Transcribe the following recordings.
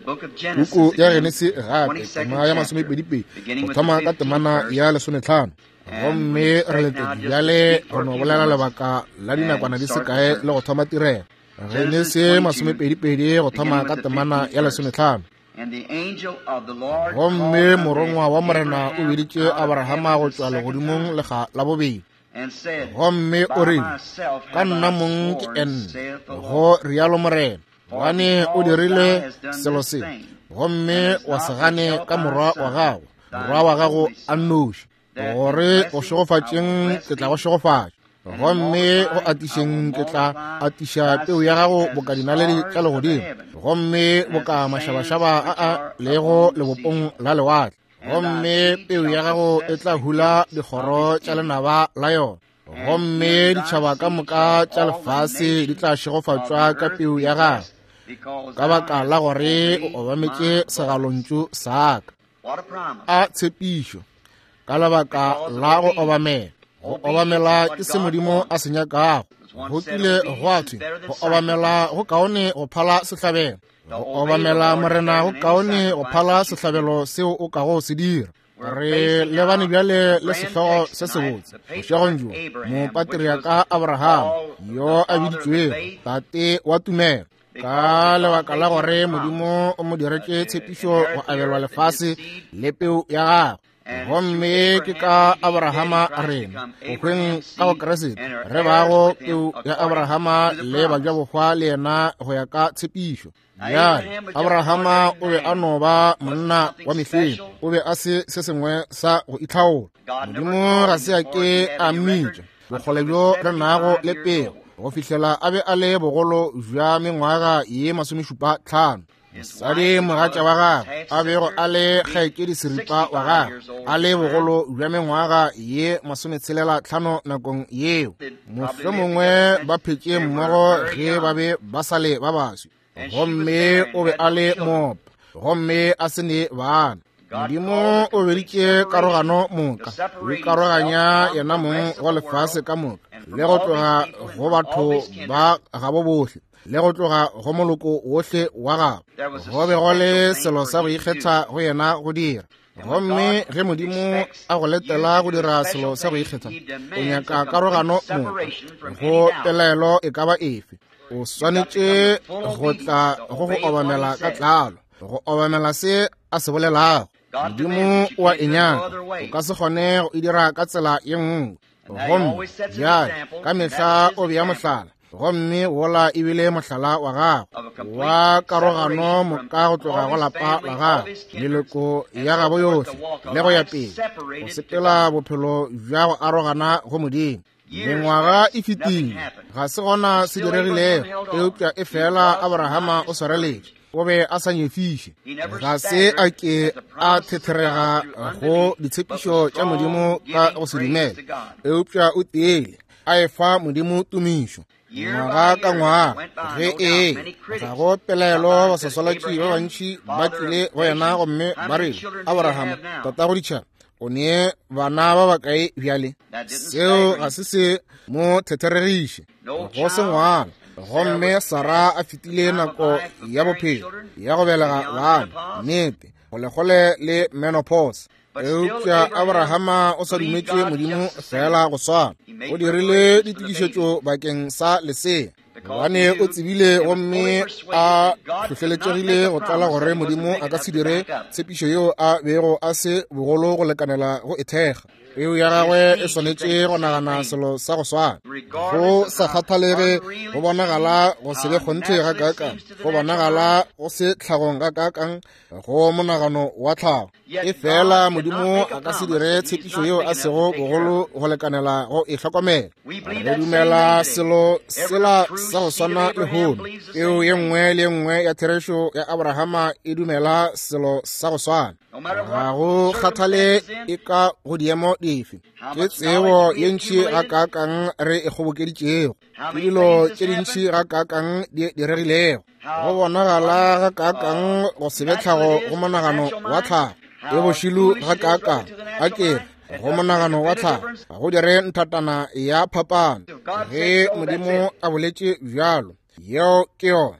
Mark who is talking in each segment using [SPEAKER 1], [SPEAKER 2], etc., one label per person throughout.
[SPEAKER 1] Puku ya Genesi gape, tema ya masomepedipedi, go thoma ka temana ya lesometlhano. Gomme re letetše bjale go no bolela lebaka la dinakwana di se kae le go thoma tirelo. Genesi masomepedipedi go thoma ka temana ya lesometlhano. Gomme morongwa wa Morena o biditše Abrahama go tšwa legodimong lekga la bobedi. Gomme o rile, Ka nna mong ke enne, go rialo Morena. Gobane o dirile selo se, gomme wa se gane ka morwa wa gago, morwa wa gago a nnoši, gore go šegofatšeng ke tla go šegofatša, gomme go atišeng ke tla atiša peu ya gago boka dinaledi tša legodimo, gomme boka mašabašaba a a lego lebopong la lewatle, gomme peu ya gago e tla hula dikgoro tša lenaba la yona. Gomme ditšhaba ka moka tša lefase di tla šegofatšwa ka peu ya gagwe, ka baka la gore o obametše segalontšu sa ka. A tshepišo! Ka lebaka la go obamela. Go obamela ke se Modimo a se nyakago. Go kile gwa thwe, go obamela go kaone go phala sehlabelo. Go obamela Morena go kaone go phala sehlabelo seo o kago se dira. Re lebane bjale le sehlogo se sebotse bošegong bjo, mopatriaka Abraham, yo a biditšwego tate wa tumelo, ka lebaka la gore Modimo o mo diretše tshepišo go abelwa lefase le peu ya gagwe. Gomme ke ka Abrahama rena go hweng ka go Kriste re bago peu ya Abrahama le bajabohwa le yena go ya ka tshepišo. Bjale, Abrahama o be a no ba monna wa mehleng, o be a se se sengwe sa go itlhaola. Modimo ga se a ke a mmitša bokgole bjo re nago le pego go fihlela a be a le bogolo bja mengwaga ye masomešupa tlhano. Mosadi mogatša wa gagwe a bego a le kgaetšedi seripa wa gagwe a le bogolo bja mengwaga ye masometshelela tlhano nakong yeo. Mohlomongwe ba phetše mmogo ge ba be ba sa le ba baswi, gomme o be a le moopa gomme a se ne bana. Modimo o beditše karogano moka, o ikaroganya yena mong go lefase ka moka, le go tloga go batho ba gabo bohle, le go tloga go moloko wohle wa gabo. Go be go le selo sa go ikgetha go yena go dira. Gomme ge Modimo a go letela go dira selo sa go ikgetha, o nyaka karogano moka go pelaelo e ka ba efe. O swanetše go tla go go obamela ka tlalo, go obamela se a se bolelago. Modimo o a e nyaka, o ka se kgone go e dira ka tsela ye nngwe. Gomme bjale ka mehla o bea mohlala, gomme wola e bile mohlala wa gagwe wa karogano moka go tloga go lapa la gagwe, meloko ya gabo yohle, le go ya pele, go sepela bophelo bja go arogana go Modimo. Mengwaga e fetile, ga se gona se diregilego, eupša e fela Abrahama o swareletše. O be a sa nyefiše, ga se a ke a thetherega go ditshepišo tša Modimo ka go se dumele, eupša o tiile a efa Modimo tumišo ngwaga ka ngwaga. Ge e ga go pelaelo, baswaswalatši ba bantši ba tlile go yena gomme ba re, Abrahama, tatago ditšhaba, o ne bana ba bakae bjale? Seo ga se se mo thetheregiše go se ngwana. Gomme Sara a fetile nako ya bophelo ya go belega bana, nnete, kgolekgole le menopause. Eupša Abrahama o sa dumetše Modimo fela go swana. O dirile ditokišetšo bakeng sa lesea, gobane o tsebile gomme a hlohleletšegile go tlala gore Modimo a ka se dire tshepišo yeo a bego a se bogolo go lekanela go e thekga. Peu ya gagwe e swanetše go nagana selo sa go swana. Go sa kgathalege go bonagala go se be kgonthe gakaakang, go bonagala go se tlhagong gakaakang go monagano wa tlhago, e fela Modimo a ka se dire tshepišo yeo a sego bogolo go lekanela go e hlokomela. Re dumela selo sela sa go swana lehono. Peu ye nngwe le ye nngwe ya therešo ya Abrahama e dumela selo sa go swana. Ga go kgathale e ka go diemo dife, ke tsebo ye ntši gakaakang re e kgobokeditšego, ke dilo tše dintši gakaakang di diregilego, go bonagala gakaakang go se be tlhago go monagano wa tlhago, e bošilu gakaakang a ke re go monagano wa tlhago, ga go dire nthatana ya phapano. Ge Modimo a boletše bjalo, yeo ke yona.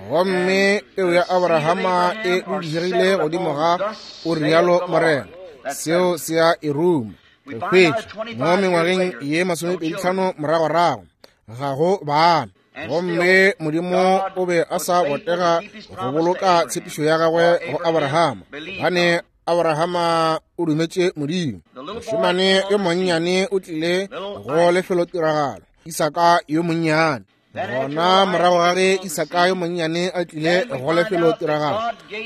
[SPEAKER 1] Gomme peu ya Abrahama e dudišegile godimo ga o rialo Morena. Seo se a e ruma. Re hwetša mo mengwageng ye 25 moragorago ga go bana. Gomme Modimo o be a sa botega go boloka tshepišo ya gagwe go Abrahama, gobane Abrahama o dumetše Modimo. Mošemane yo monnyane o tlile go lefelotiragalo, Isaka yo monnyane. Gona morago ga ge Isaka yo monnyane a tlile go lefelotiragalo,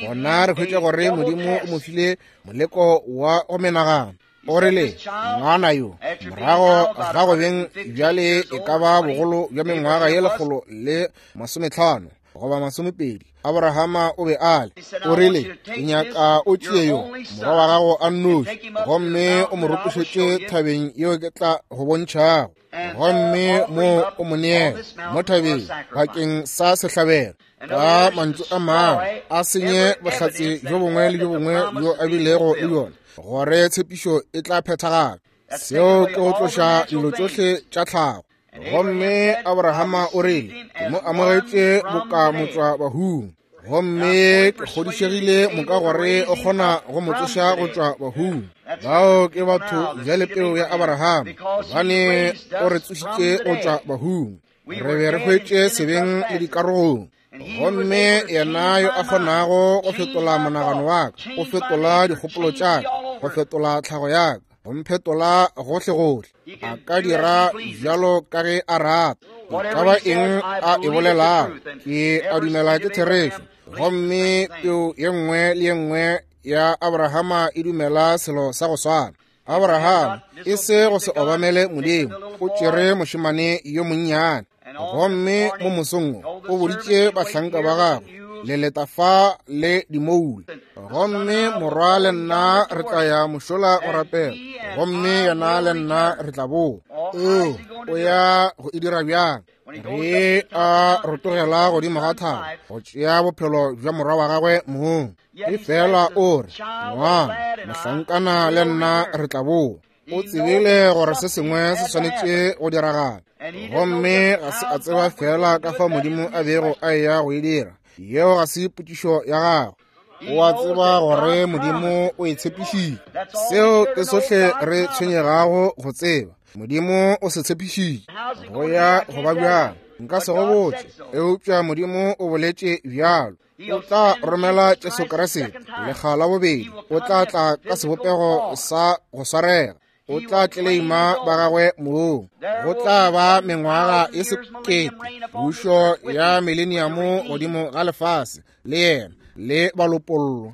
[SPEAKER 1] gona re hwetša gore Modimo o mo file moleko wa go menagana. O rile, ngwana yo, morago ga go beng bjale e ka ba bogolo bja mengwaga ye 150 goba 20, Abrahama o be a le. O rile, ke nyaka o tšee yo morwa wa gago a nnoši, gomme o mo rotošetše thabeng yeo ke tla go bontšhago, gomme mo o mo neele mo thabeng bakeng sa sehlabelo. Ka mantšu a mangwe, a senye bohlatse bjo bongwe le bjo bongwe bjo a bilego le bjona gore tshepišo e tla phethagala. Seo ke go tloša dilo tšohle tša tlhago. Gomme Abrahama o rile, ke mo amogetše boka motswa bahung, gomme ke kgodišegile moka gore o kgona go mo tsoša go tšwa bahung. Bao ke batho bjale peu ya Abrahama, gobane o re tsošitše go tšwa bahung. Re be re hwetše sebeng le dikarogong. Gomme yena yo a kgonago go fetola monagano wa ka, go fetola dikgopolo tša ka, go fetola tlhago ya ka, go mphetola gohlegohle, a ka dira bjalo ka ge a rata. E ka ba eng a e bolelago, ke a dumela ke therešo. Gomme peu ye nngwe le ye nngwe ya Abrahama e dumela selo sa go swana. Abraham e se go se obamele Modimo, o tšere mošemane yo monnyane. Gomme mo mosong o boditše bahlanka ba gagwe, le leta fa le dimoula, gomme morwa le nna re tla ya mošola go rapela, gomme yena le nna re tla boa. Oo, o ya go e dira bjang? Ge a rotogela godimo ga thaba go tšea bophelo bja morwa wa gagwe mong, e fela o re, ngwana mohlankana le nna re tla boa. O tsebile gore se sengwe se swanetše go diragala, gomme ga se a tseba fela ka fa Modimo a bego a eya go e dira. Yeo ga se potšišo ya gagwe. O a tseba gore Modimo o e tshepišitše. Seo ke sohle re tshwenyegago go tseba. Modimo o se tshepišitše. Go ya go ba bjang, nka se go botše, eupša Modimo o boletše bjalo. O tla romela Jesu Kriste lekga la bobedi. O tla tla ka sebopego sa go swarega. O tla tleleima ba gagwe mong. Go tla ba mengwaga e 1000, pušo ya mileniamo godimo ga lefase, le yena le balopollo.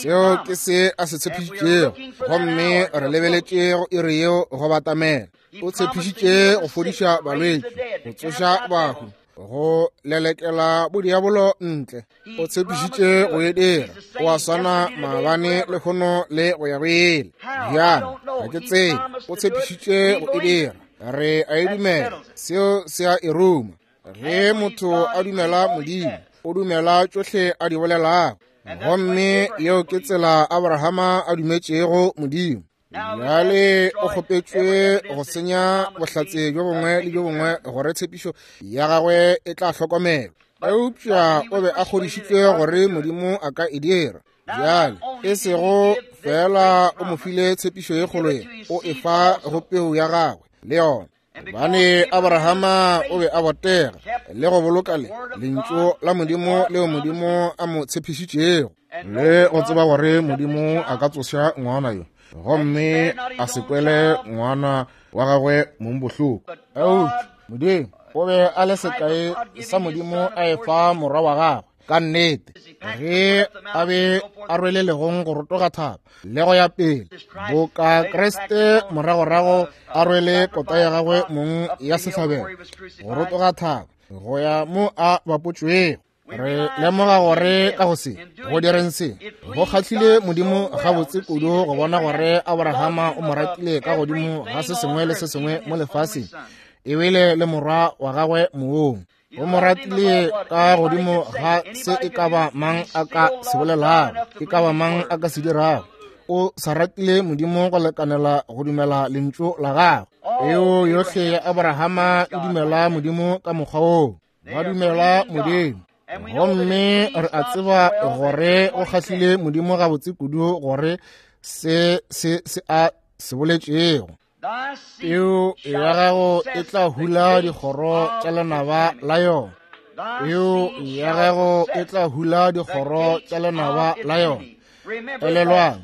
[SPEAKER 1] Seo ke se a se tshepišitšego, gomme re lebeletše go iri yeo go batamela. O tshepišitše go fodiša balwetši, go tsoša bahu, go lelekela bodiabolo ntle. O tshepišitše go e dira. O a swana maabane, lehono le go ya go ile. Bjang, ga ke tsebe. O tshepišitše go e dira. Re a e dumela. Seo se a e ruma. Ge motho a dumela Modimo, o dumela tšohle a di bolelago. Gomme yeo ke tsela Abrahama a dumetšego Modimo. Bjale o kgopetšwe go senya bohlatse bjo bongwe le bjo bongwe gore tshepišo ya gagwe e tla hlokomelwa. Eupša o be a kgodišitšwe gore Modimo a ka e dira. Bjale e sego fela o mo file tshepišo ye kgolo ye, o e fa go peu ya gagwe le yona. Gobane Abrahama o be a botega le go boloka le lentšu la Modimo leo Modimo a mo tshepišitšego, le go tseba gore Modimo a ka tsoša ngwana yo, gomme a se kwele ngwana wa gagwe mong bohloko. Eupša Modimo o be a le sekai sa Modimo a efa morwa wa gagwe ka nnete, ge a be a rwele legong go rotoga thaba le go ya pele, boka Kriste moragorago a rwele kota ya gagwe mong ya sehlabelo go rotoga thaba go ya mo a bapotšwego. Re lemoga gore ka go se go direng se go kgahlile Modimo gabotse kudu go bona gore Abrahama o mo ratile ka godimo ga se sengwe le se sengwe mo lefaseng, ebile le morwa wa gagwe mong. O mo ratile ka godimo ga se e ka ba mang a ka se bolelago, e ka ba mang a ka se dirago. O sa ratile Modimo go lekanela go dumela lentšu la gagwe. Peo yohle ya Abrahama e dumela Modimo ka mokgwa woo. Ba dumela Modimo. Gomme re a tseba gore go kgahlile Modimo gabotse kudu gore se se se a se boletšego. Peu ya gago e tla hula dikgoro tša lenaba la yona. Peu ya gago e tla hula dikgoro tša lenaba la yona. Elelwang,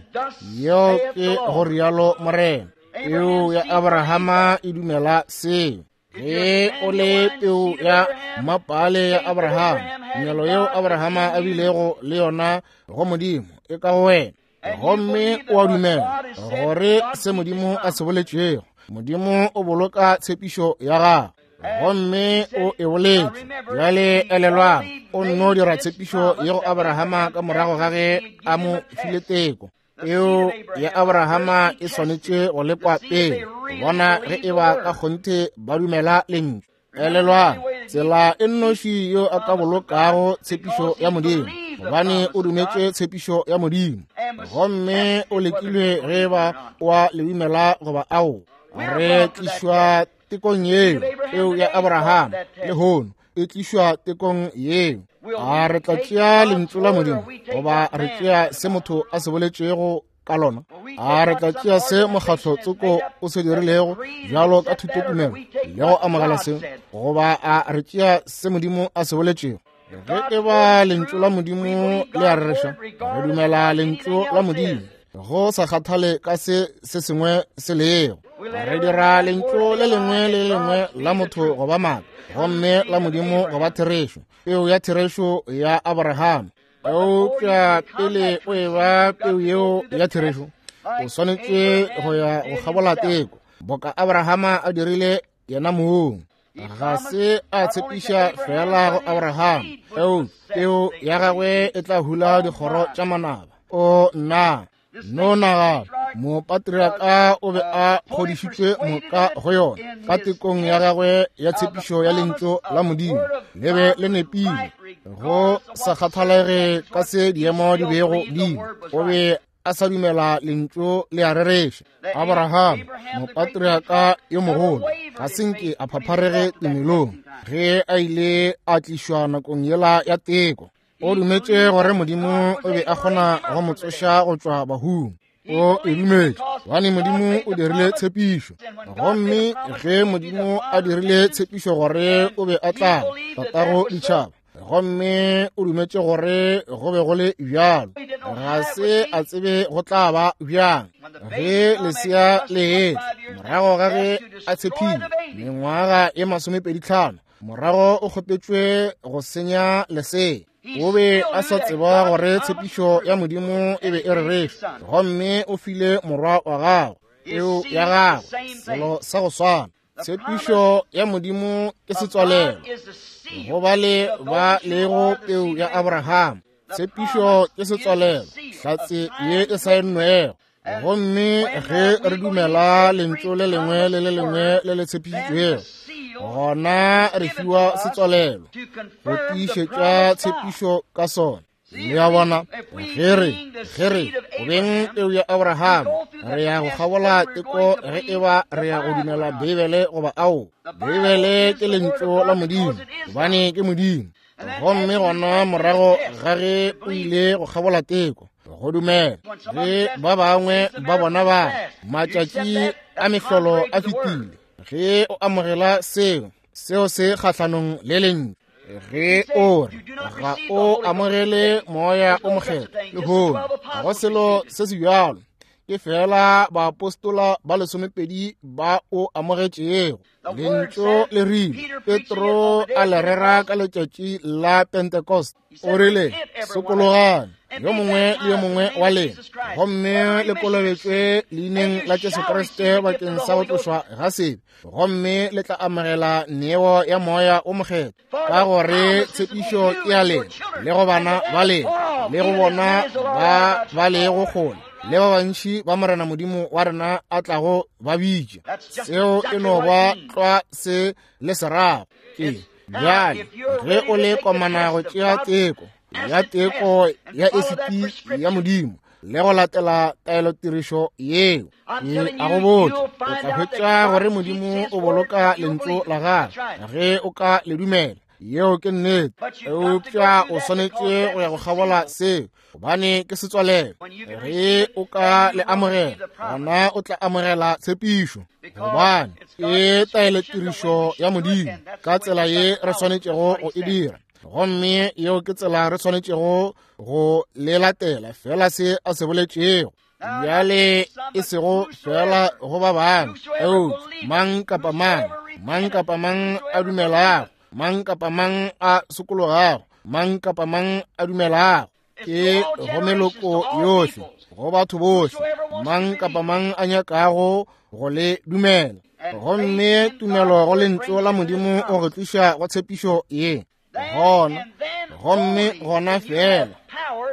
[SPEAKER 1] yeo ke go rialo Morena. Peu ya Abrahama e dumela seo. Ge o le peu ya mapale ya Abrahama, tumelo yeo Abrahama a bilego le yona go Modimo e ka go wena. Gomme o a dumela gore se Modimo a se boletšego, Modimo o boloka tshepišo ya gagwe, gomme o e boletše. Bjale elelwang, o nno dira tshepišo ye go Abrahama ka morago ga ge a mo file teko. Peu ya Abrahama e swanetše go lekwa pele, bona ge e ba ka kgonthe ba dumela lentšu. Elelwang, tsela e nnoši yo a ka bolokago tshepišo ya Modimo, gobane o dumetše tshepišo ya Modimo, gomme o lekilwe ge ba wa le dumela goba ao. Re tlišwa tekong yeo, peu ya Abrahama lehono e tlišwa tekong yeo. A re tla tšea lentšu la Modimo goba re tšea se motho a se boletšego ka lona? A re tla tšea se mokgatlo tsoko o se dirilego bjalo ka thutotumelo le go amogela seo, goba a re tšea se Modimo a se boletšego? Ge e ba lentšu la Modimo le a rereša, re dumela lentšu la Modimo go sa kgathale ka se se sengwe se lego. Re dira lentšu le lengwe le lengwe la motho go ba maaka, gomme la Modimo go ba therešo, peu ya therešo ya Abrahama. Eupša pele o e ba peu yeo ya therešo, o swanetše go ya go kgabola teko, boka Abrahama a dirile yena mong. Ga se a tshepiša fela go Abraham, eupša peu ya gagwe e tla hula dikgoro tša manaba. O nna no nagana, mopatriaka o be a kgodišitšwe moka go yona ka tekong ya gagwe ya tshepišo ya lentšu la Modimo, le be le nepile go sa kgathalege ka se diemo di bego di. O be a sa dumela lentšu le a rereša. Abraham, mopatriaka yo mogolo, ga se nke a phapharege tumelong ge a ile a tlišwa nakong yela ya teko. O dumetše gore Modimo o be a kgona go mo tsoša go tšwa bahung. O e dumetše gobane Modimo o dirile tshepišo. Gomme ge Modimo a dirile tshepišo gore o be a tla tatago ditšhaba, gomme o dumetše gore go be go le bjalo, ga se a tsebe go tla ba bjang ge lesea le etla morago ga ge a tshephile mengwaga e 25. Morago o kgopetšwe go senya lesea. O be a sa tseba gore tshepišo ya Modimo e be e rereša, gomme o file morwa wa gagwe peu ya gagwe selo sa go swana. Tshepišo ya Modimo ke setswalelo go bale ba lego peu ya Abraham. Tshepišo ke setswalelo, hlatse ye e saennwego. Gomme ge re dumela lentšu le lengwe le le lengwe le le tshepišitšwego, gona re fiwa setswalelo go tiišetša tshepišo ka sona. Le a bona, ge re go beng peu ya Abraham, re ya go kgabola teko ge e ba re ya go dumela Beibele goba ao. Beibele ke lentšu la Modimo, gobane ke Modimo. Gomme gona morago ga ge o ile go kgabola teko go dumela, ge ba bangwe ba bona ba matšatši a mehlolo a fetile, ge o amogela seo, seo se kgahlanong le lentšu. Ge o re ga o amogele moya o mokgethwa lehono, ga go selo se se bjalo, ke fela baapostola ba 12 ba o amogetšego. Lentšu le rile, Petro a le rera ka letšatši la Pentecost, o rile, sokologang yo mongwe le yo mongwe wa lena, gomme le kolobetšwe leineng la Jesu Kriste bakeng sa go tlošwa ga sebe, gomme le tla amogela neo ya moya o mokgethwa, ka gore tshepišo ke ya lena le go bana ba lena le go bona ba ba lego kgole, le ba bantši ba Morena Modimo wa rena a tlago ba bitša. Seo e no ba tlwa se le se rago. Ke bjale ge o le komana go tšea teko ya teko ya esiti ya Modimo le go latela taelotirišo yeo, ke a go botša, o tla hwetša gore Modimo o boloka lentšu la gagwe ge o ka le dumela. Yeo ke nnete. Eupša o swanetše go ya go kgabola seo, gobane ke setswalelo. Ge o ka le amogela, gona o tla amogela tshepišo, gobane ke taelotirišo ya Modimo ka tsela ye re swanetšego go e dira. Gomme yeo ke tsela re swanetšego go le latela, fela se a se boletšego. Bjale e sego fela go ba bangwe, eupša mang kapa mang, mang kapa mang a dumelago, mang kapa mang a sokologago, mang kapa mang a dumelago, ke go meloko yohle, go batho bohle, mang kapa mang a nyakago go le dumela. Gomme tumelo go lentšu la Modimo o re tliša go tshepišo ye. Gona, gomme gona fela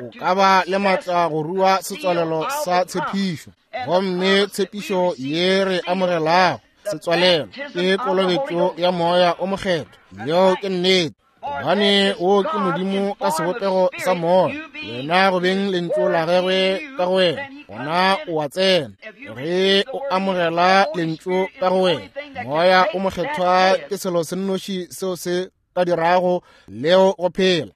[SPEAKER 1] o ka ba le matla go rua setswalelo sa tshepišo. Gomme tshepišo ye re amogelago setswalelo ke kolobetšo ya Moya o Mokgethwa. Yeo ke nnete, gobane wo ke Modimo ka sebopego sa Moya. Wena go beng lentšu la gagwe ka go wena, gona o a tsena. Ge o amogela lentšu ka go wena, Moya o Mokgethwa ke selo se nnoši seo se ka dirago leo go phela.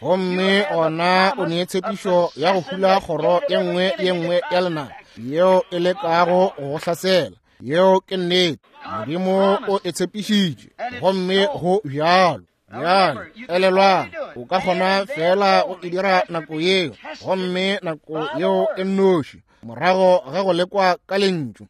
[SPEAKER 1] Gomme gona o ne tshepišo ya go hula kgoro ye nngwe ye nngwe ya lenaba yeo e lekago go go hlasela. Yeo ke nnete. Modimo o e tshepišitše, gomme go bjalo. Bjale elelwang, o ka kgona fela go e dira nako yeo, gomme nako yeo e nnoši morago ga go lekwa ka lentšu.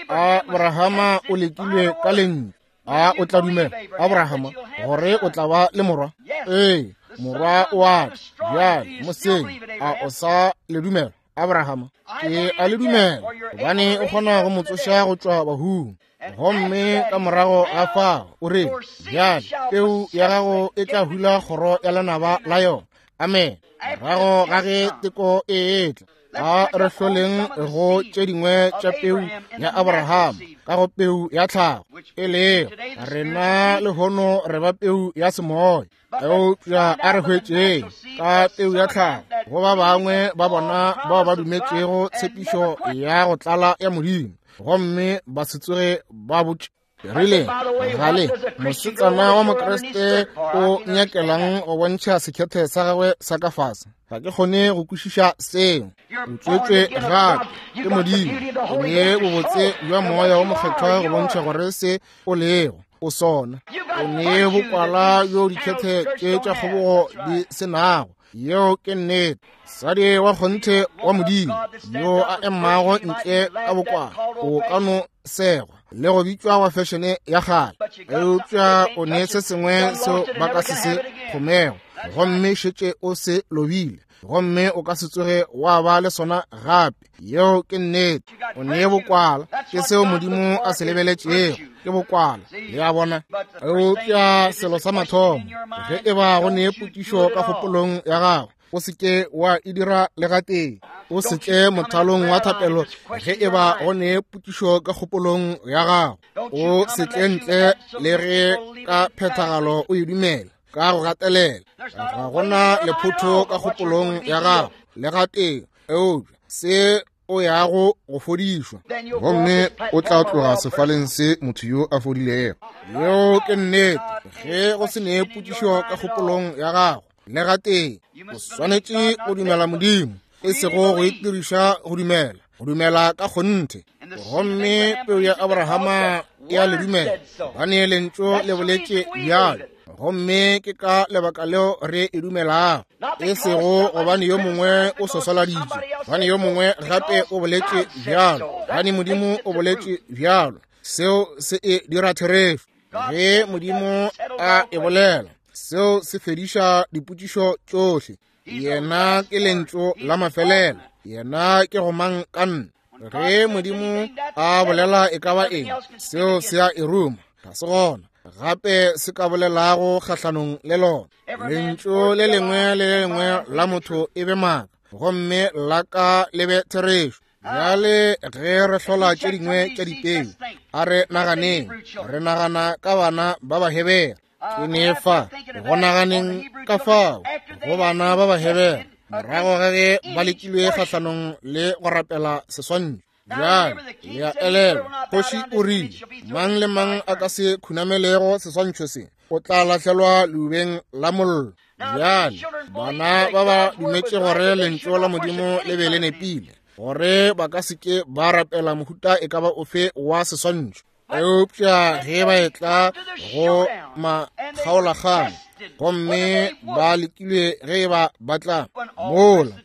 [SPEAKER 1] Abrahama o lekilwe ka lentšu. A o tla dumela, Abrahama, gore o tla ba le morwa? Ee, morwa o a tla. Bjale moseng, a o sa le dumela, Abrahama? Ke a le dumela, gobane o kgona go mo tsoša go tšwa bahung. Gomme ka morago ga fao o re, bjale peu ya gago e tla hula kgoro ya lenaba la yona. Amen. Morago ga ge teko e etla, a re hloleng go tše dingwe tša peu ya Abraham ka go peu ya tlhago, e lego rena lehono re ba peu ya semoya. Eupša a re hwetšeng ka peu ya tlhago go ba bangwe ba bona bao ba dumetšego tshepišo ya go tlala ya Modimo, gomme ba se tsoge ba botše. Rile, gale mosetsana wa Mokriste o nyakelang go bontšha sekhethe sa gagwe sa ka fase? Ga ke kgone go kwešiša seo. O tswetšwe gape ke Modimo, o ne bobotse bja Moya wo Mokgethwa go bontšha gore se o lego o sona. O ne bokwala bjo dikhethe tše tša kgobogo di se nago. Yeo ke nnete. Sadi wa kgonthe wa Modimo yo a emago ntle ka bokwala o ka no segwa le go bitšwa wa fešene ya kgale, eupša o ne se sengwe seo ba ka se se kgomego, gomme šetše o se lobile, gomme o ka se tsoge wa ba le sona gape. Yeo ke nnete. O ne bokwala, ke seo Modimo a se lebeletšego, ke bokwala. Le a bona? Eupša selo sa mathomo, ge e ba go ne potšišo ka kgopolong ya gago, o se ke wa e dira le gatee. O se tle mothalong wa thapelo ge e ba go ne potšišo ka kgopolong ya gago. O se tle ntle le ge ka phethagalo o e dumela ka go gatelela. Ga gona lephotho ka kgopolong ya gago le gatee, eupša se o yago go fodišwa,
[SPEAKER 2] gomme o tla tloga sefaleng se motho yo a fodilego.
[SPEAKER 1] Yeo ke nnete. Ge go se ne potšišo ka kgopolong ya gago le gatee, o swanetše go dumela Modimo, e sego go itiriša go dumela, go dumela ka kgonthe. Gomme peu ya Abrahama e a le dumela, gobane lentšu le boletše bjalo. Gomme ke ka lebaka leo re e dumelago, e sego gobane yo mongwe o sosoladitše, gobane yo mongwe gape o boletše bjalo, gobane Modimo o boletše bjalo. Seo se e dira therešo. Ge Modimo a e bolela, seo se fediša dipotšišo tšohle. Yena ke lentšu la mafelelo, yena ke go mang ka nna. Ge Modimo a bolela e ka ba eng, seo se a e ruma, ga se gona gape se ka bolelago kgahlanong le lona. Lentšu le lengwe le le lengwe la motho e be maaka, gomme la ka le be therešo. Bjale ge re hlola tše dingwe tša dipeu, a re naganeng, re nagana ka bana ba Bahebere. Ke ne fa go naganeng ka fao go bana ba Bahebere morago ga ge ba lekilwe kgahlanong le go rapela seswantšho. Bjale le a elelwa, kgoši o rile, mang le mang a ka se khunamelego seswantšho se, O tla lahlelwa leubeng la mollo. Bjale bana ba ba dumetše gore lentšu la Modimo le be le nepile, gore ba ka se ke ba rapela mohuta e ka ba ofe wa seswantšho. Eupša ge ba etla go makgaolakgang gomme ba lekilwe ge ba ba tla mola,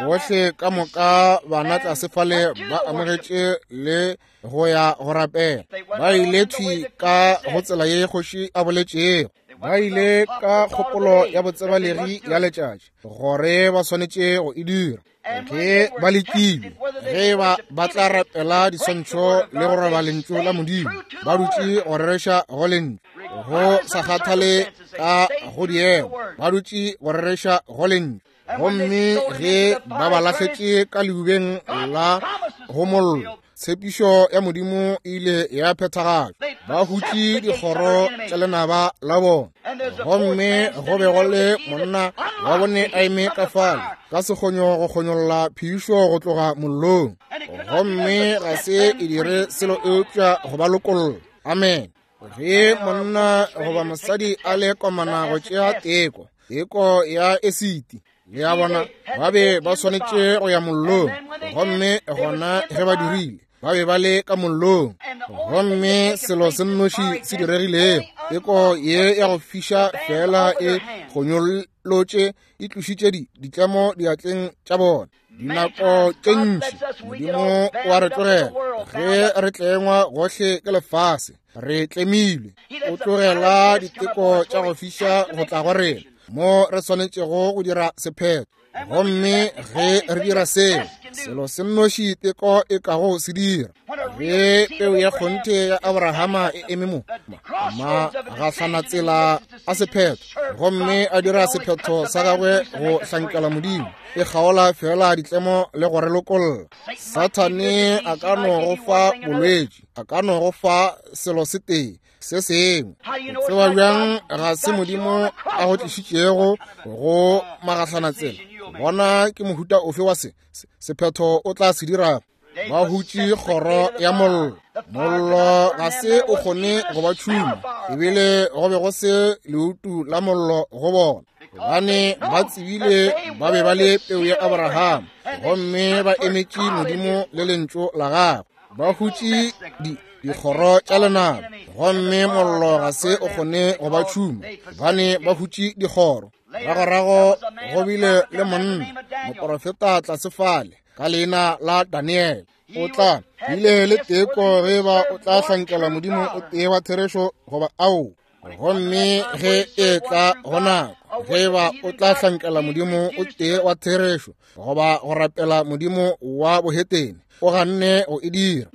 [SPEAKER 1] bohle ka moka bana tlase fale ba amogetše le go ya go rapela. Ba ile thwi ka go tsela ye kgoši a boletšego. Ba ile ka kgopolo ya botsebalegi ya letšatši gore ba swanetše go e dira. Ge ba lekilwe ge ba ba tla rapela diswantšho le go roba lentšu la Modimo, ba dutše go rereša go lentšu, go sa kgathale ka go diemo, ba dutše go rereša go lentšu. Gomme ge ba ba lahletše ka leubeng la go mollo, tshepišo ya Modimo e ile ya phethagatšwa. Ba hutše dikgoro tša lenaba la bona. Gomme go be go le monna wa bone a eme ka fale ka sekgonyo go kgonyolla phišo go tloga mollong, gomme ga se e dire selo eupša go ba lokolla. Amen. Ge monna goba mosadi a le komana go tšea teko, teko ya esiti, le a bona, ba be ba swanetše go ya mollong. Gomme gona ge ba dirile, ba be ba le ka mollong. Gomme selo se nnoši se diregilego, teko ye ya go fiša fela e kgonyolotše, e tlošitše ditlemo diatleng tša bona. Dinako tše ntši Modimo wa re tlogela ge re tlengwa gohle ke lefase, re tlemilwe. O tlogela diteko tša go fiša go tla go rena mo re swanetšego go dira sephetho. Gomme ge re dira seo, selo se nnoši teko e kago se dira, ge peu ya kgonthe ya Abrahama e eme mo magahlanatsela a sephetho, gomme a dira sephetho sa gagwe go hlankela Modimo, e kgaola fela ditlemo le go re lokolla. Sathane a ka no go fa bolwetši, a ka no go fa selo se tee se sengwe. O tseba bjang ga se Modimo a go tlišitšego go magahlanatsela? Bona ke mohuta ofe wa se sephetho o tla se dira. Ba hutše kgoro ya mollo. Mollo ga se o kgone go ba tšhuma, ebile go be go se leutu la mollo go bona, gobane ba tsebile ba be ba le peu ya Abraham, gomme ba emetše Modimo le lentšu la gagwe. Ba hutše dikgoro tša lenaba, gomme mollo ga se o kgone go ba tšhuma, gobane ba hutše dikgoro. Ragorago go bile le monna moporofeta tlase fale ka leina la Daniel. O tla bile le teko ge ba o tla hlankela Modimo o tee wa therešo goba ao. Gomme ge e tla go nako ge ba o tla hlankela Modimo o tee wa therešo goba go rapela modimo wa bohetene, o ganne go e dira.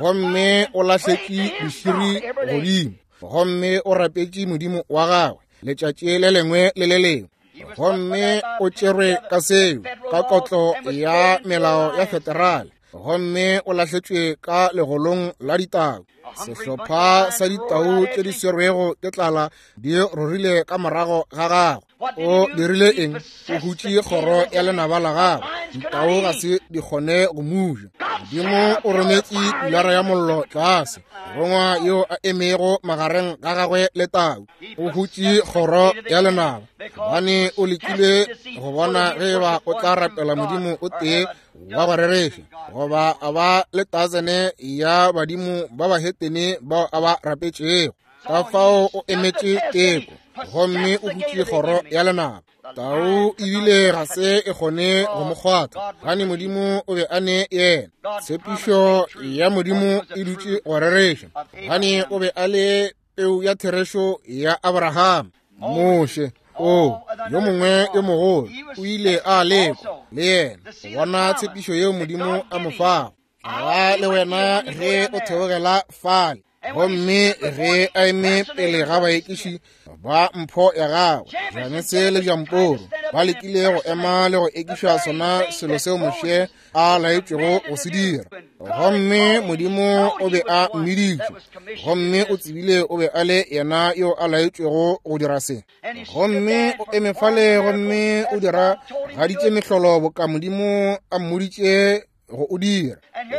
[SPEAKER 1] Gomme o lahletše diširi godimo, gomme o rapetše Modimo wa gagwe letšatši le lengwe le le lengwe. Gomme o tšerwe ka seo, ka kotlo ya melao ya federale, gomme o lahletšwe ka legolong la ditau. Sehlopha sa ditau tše di swerwego ke tlala di rorile ka morago ga gagwe. O dirile eng? O hutše kgoro ya lenaba la gagwe. Ditau ga se di kgone go muja. Modimo o rometše pilara ya mollo tlase, morongwa yo a emego magareng ga gagwe le tau. O hutše kgoro ya lenaba, gobane o lekile go bona ge eba o tla rapela Modimo o tee wa go rereša goba a ba le tasene ya badimo ba bahetene bao a ba rapetšego. Ka fao o emetše teko, gomme o hutše kgoro ya lenaba. Tau ebile ga se e kgone go mo kgwatha, gane Modimo o be a ne yena. Tshepišo ya Modimo e dutše go rereša, gane o be a le peu ya therešo ya Abraham. Moshe, o yo mongwe yo mogolo, o ile a lekwa le yena go bona tshepišo yeo Modimo a mo fago. Ga le wena ge o theogela fale, gomme ge a eme pele ga baekiši ba mpho ya gagwe, Janese le Jamporo ba lekile go ema le go ekiša sona selo seo Moshe a laetšwego go se dira. Gomme Modimo o be a mmiditše, gomme o tsebile o be a le yena yo a laetšwego go dira se. Gomme o eme fale gomme o dira gaditše mehlolo boka Modimo a mmoditše go o dira.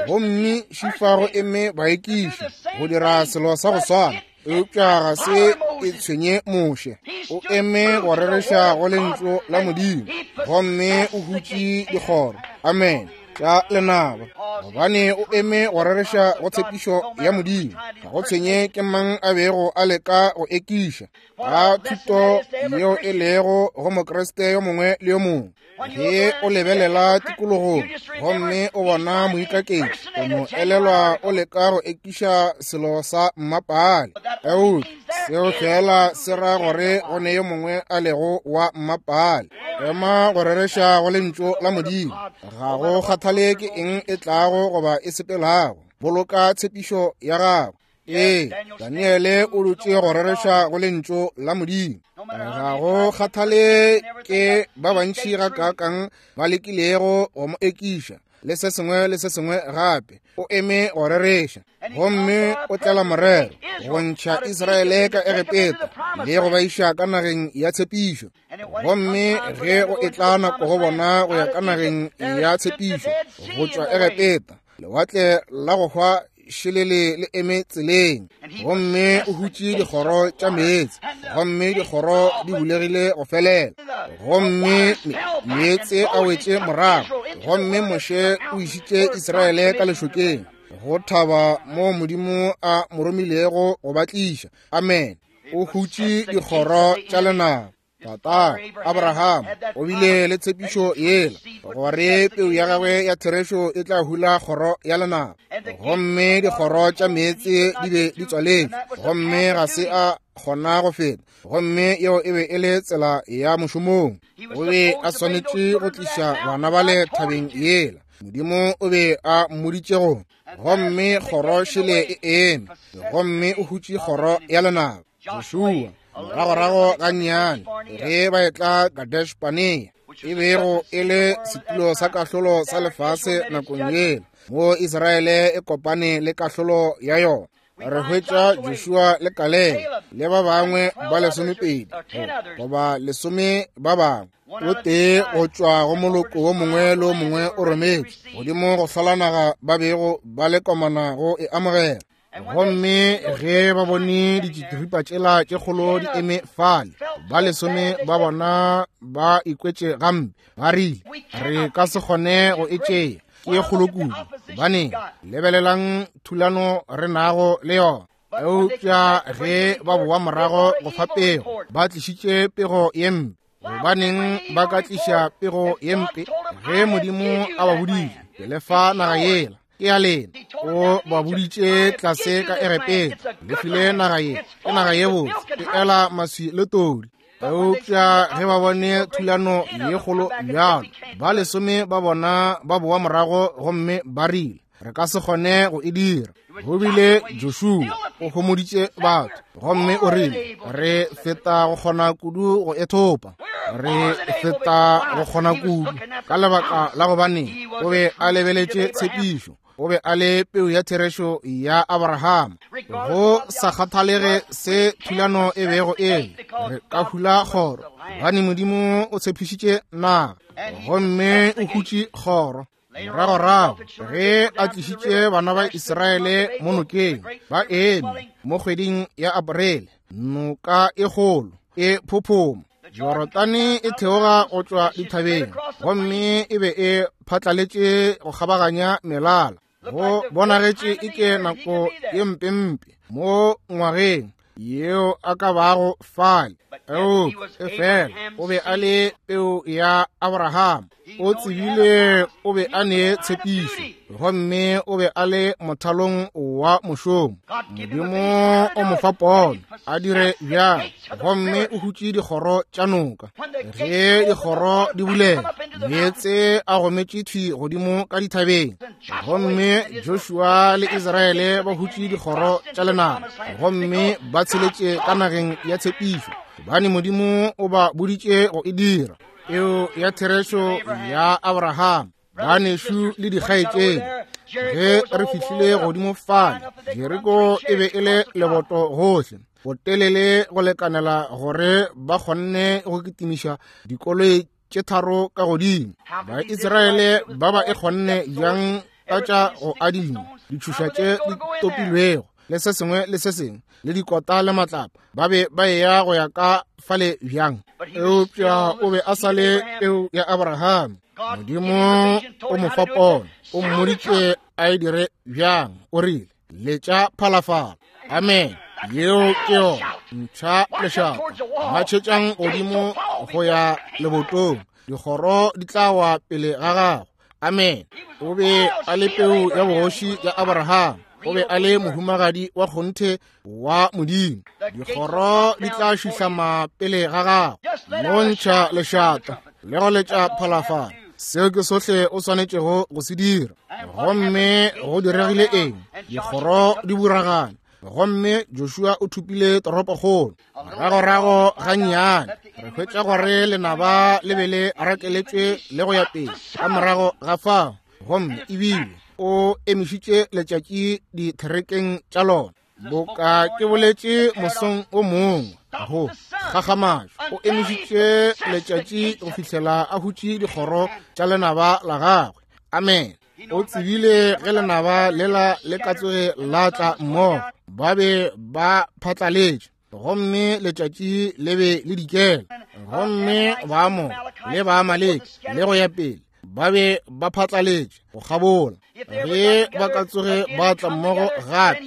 [SPEAKER 1] Gomme šifa go eme baekiši go dira selo sa go swana.
[SPEAKER 2] Eupša ga se e tshwenye Moshe. O eme go rereša go lentšu la Modimo, gomme o hutše dikgoro, amen, tša lenaba, gobane o eme go rereša go tshepišo ya Modimo. Ga go tshwenye ke mang a bego a leka go ekiša ka thuto yeo e lego go Mokriste yo mongwe le yo mongwe. Ge o lebelela tikologong gomme o bona moikaketši, o no elelwa o leka go ekiša selo sa mmapaale, eupša seo fela se ra gore go ne yo mongwe a lego wa mmapaale. Ema go rereša go lentšu la Modimo, ga go kgathale ke eng e tlago goba e sepelago, boloka tshepišo ya gago. Ee, Daniele o dutše go rereša go lentšu la Modimo. Ga go kgathale ke ba bantši gakaakang ba lekilego go mo ekiša le se sengwe le se sengwe gape, o eme go rereša, gomme o tlela morero go ntšha Israele ka Egepeta le go ba iša ka nageng ya tshepišo. Gomme ge go etla nako go bona go ya ka nageng ya tshepišo go tšwa Egepeta, lewatle la go hwa šelele le eme tseleng, gomme o hutše dikgoro tša meetse, gomme dikgoro di bulegile go felela, gomme meetse a wetše morago, gomme Moshe o išitše Israele ka lešokeng go thaba mo Modimo a mo romilego go ba tliša. Amen. O hutše dikgoro tša lenaba. Tata Abraham o bile le tshepišo yela gore peu ya gagwe ya therešo e tla hula kgoro ya lenaba, gomme dikgoro tša meetse di be di tswaletšwe, gomme ga se a kgona go feta, gomme yeo e be e le tsela ya mošomong. O be a swanetše go tliša bana bale thabeng yela Modimo o be a mmoditše go, gomme kgoro šele e eme, gomme o hutše kgoro ya lenaba. Joshua moragorago gannyane ge ba etla Kadesh Barnea, e bego e le setulo sa kahlolo sa lefase nakong yela, mo Israele e kopane le kahlolo ya yona. Re hwetša Joshua le Kalebe le ba bangwe ba 12 goba 10 ba bangwe, o tee go tšwa go moloko wo mongwe le wo mongwe o rometšwe godimo go hlola naga ba bego ba le komana go e amogela. Gomme ge ba bone ditšitiripa tšela tše kgolo di eme fale, ba 10 ba bona ba ikwetše gampe, ba rile, re ka se kgone go e tšea, ke ye kgolo kudu, gobane lebelelang thulano re nago le yona. Eupša ge ba boa morago go fa pego, ba tlišitše pego ye mpe. Gobaneng ba ka tliša pego ye mpe ge Modimo a ba boditše, ke le fa naga yela, ke ya lena? O ba boditše tlase ka Egepeta, le file naga ye, ke naga ye botse, e ela maswi le todi. Eupša ge ba bone thulano ye kgolo bjalo, ba 10 ba bona ba boa morago gomme ba rile, re ka se kgone go e dira. Go bile Joshua o homoditše batho gomme o rile, re feta go kgona kudu go e thopa, re feta go kgona kudu, ka lebaka la gobane o be a lebeletše tshepišo. O be a le peu ya therešo ya Abraham. Go sa kgathalege se thulano e bego e le, re ka hula kgoro, gobane Modimo o tshepišitše naga, gomme o hutše kgoro. Moragorago ge a tlišitše bana ba Israele mo nokeng, ba eme mo kgweding ya Aprele, noka e kgolo e phophoma, Jorodane e theoga go tšwa dithabeng, gomme e be e phatlaletše go kgabaganya melala. Go bonagetše e ke nako ye mpempe mo ngwageng yeo a ka bago fale, eupša efela o be a le peu ya Abraham. O tsebile o be a ne tshepišo, gomme o be a le mothalong wa mošomo. Modimo o mo fa pono a dire bjalo, gomme o hutše dikgoro tša noka. Ge dikgoro di bulela, meetse a gometše thwi godimo ka dithabeng, gomme Joshua le Israele ba hutše dikgoro tša lenaba, gomme ba tsheletše ka nageng ya tshepišo, gobane Modimo o ba boditše go e dira. Peo ya therešo ya Abraham, banešu le dikgaetšedi, ge re fihlile godimo fale, Jeriko e be e le leboto gohle, botelele go lekanela gore ba kgonne go kitimiša dikoloi tše 3 ka godimo. Baisraele ba ba e kgonne bjang ka tša go adima ditšhoša tše di topilwego?
[SPEAKER 1] le se sengwe le se sengwe, le dikota le matlapa, ba be ba eya go ya ka fale bjang? Eupša o be a sa le peu ya Abraham. Modimo o mo fa pono, o mmoditše a e dire bjang. O rile, letša phalafala. Amen. Yeo ke yona. Ntšha lešata, matšhetšang godimo go ya lebotong, dikgoro di tla wa pele ga gago. Amen. O be a le peu ya bogoši ya Abraham. O be a le mohumagadi wa kgonthe wa Modimo. Dikgoro di tla šihlama pele ga gago. No ntšha lešata le go letša phalafala. Seo ke sohle o swanetšego go se dira. Gomme go diregile eng? Dikgoro di buragane. Gomme Joshua o thupile toropokgolo. Moragorago gannyane re hwetša gore lenaba le be le rakeletšwe le go ya pele ka morago ga fao, gomme ebile o emišitše letšatši ditherekeng tša lona. Boka ke boletše mosong o mongwe go kgakgamatšo, o emišitše letšatši go fihlela a hutše dikgoro tša lenaba la gagwe. Amen. O tsebile ge lenaba lela le ka tsoge la tla mmogo, ba be ba phatlaletše, gomme letšatši le be le dikela, gomme Baamore le Baamaleke le go ya pele ba be ba phatlaletše go kgabola. Ge ba ka tsoge ba tla mmogo gape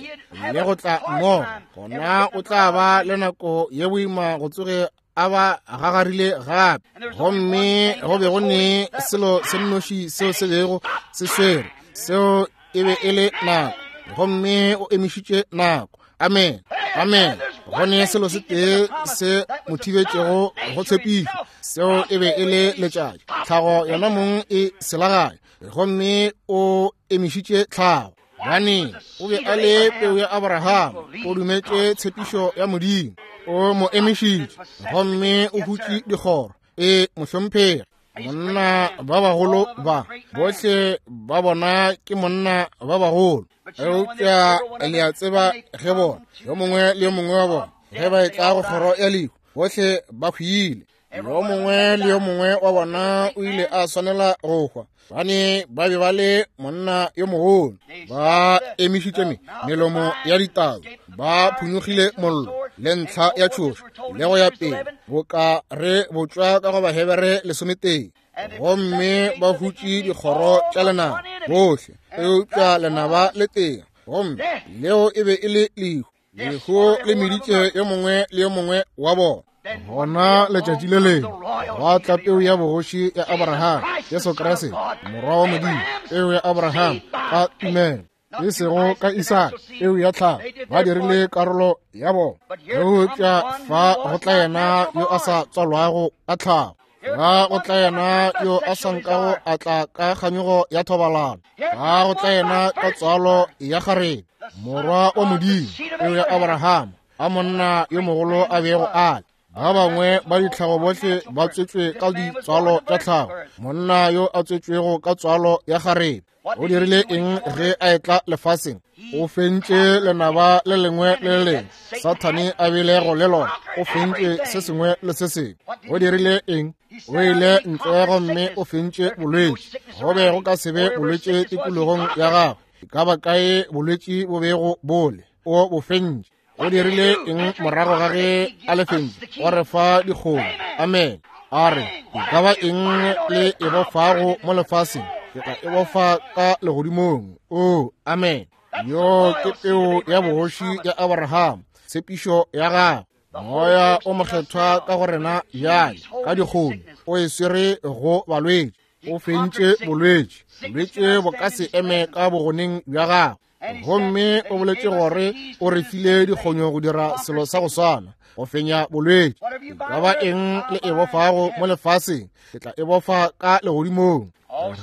[SPEAKER 1] le go tla mmogo, gona o tla ba le nako ye boima go tsoge a ba gagarile gape. Gomme go be go ne selo se nnoši seo se bego se swere, seo e be e le nako, gomme o emišitše nako. Amen. Amen. Go ne selo se tee se mo thibetšego go tshepišo, seo e be e le letšatši. Tlhago yona mong e selaganya, gomme o emišitše tlhago. Gane o be a le peu ya Abraham, o dumetše tshepišo ya Modimo, o mo emišitše, gomme o hutše dikgoro. E mohlomphegi, monna ba bagolo ba bohle ba bona ke monna ba bagolo, eupša le a tseba ge bona yo mongwe le yo mongwe wa bona ge ba etla go kgoro ya lehu, bohle ba hwile. Yo mongwe le yo mongwe wa bona o ile a swanela go hwa, bane ba be ba le monna yo mogolo. Ba emišitše melomo ya ditau, ba phunyogile mollo le ntlha ya tšhošo le go ya pele, boka re botšwa ka go Bahebere 11. Gomme ba hutše dikgoro tša lenaba bohle, eupša lenaba le tee, gomme leo e be e le lehu. Lehu le meditše yo mongwe le yo mongwe wa bona. Gona letšatši le lengwe gwa tla peu ya bogoši ya Abraham, Jesu Kriste, morwa wa Modimo, peu ya Abraham ka tumelo, e sego ka Isaka, peu ya tlhago. Ba dirile karolo ya bona, eupša fa go tla yena yo a sa tswalwago ka tlhago, ga go tla yena yo a sa nkago a tla ka kganyogo ya thobalano, ga go tla yena ka tswalo ya kgarebe, morwa wa Modimo, peu ya Abraham, a monna yo mogolo a bego a le. Ba bangwe ba ditlhago bohle ba tswetšwe ka ditswalo tša tlhago, monna yo a tswetšwego ka tswalo ya kgarebe. O dirile eng ge a etla lefaseng? O fentše lenaba le lengwe le le lengwe Sathane a bilego le lona. O fentše se sengwe le se sengwe. O dirile eng? O ile ntle gomme o fentše bolwetši. Go be go ka se be bolwetši tikologong ya gagwe. E ka ba kae bolwetši bo bego bole, o bo fentše. O dirile eng morago ga ge a le fentše? O re fa dikgomo. Amen. A re, e ka ba eng le e bofago mo lefaseng, ke tla e bofa ka legodimong. O, amen. Yo ke peu ya bogoši ya Abraham, tshepišo ya gagwe. Moya o mokgethwa ka go rena bjale ka dikgomo, o e swere go balwetši, o fentše bolwetši. Bolwetši bo ka se eme ka bogoneng bja gagwe. Gomme o boletše gore o re file dikgonyo go dira selo sa go swana, go fenya bolwetši. E ka ba eng le e bofago mo lefaseng, ke tla e bofa ka legodimong.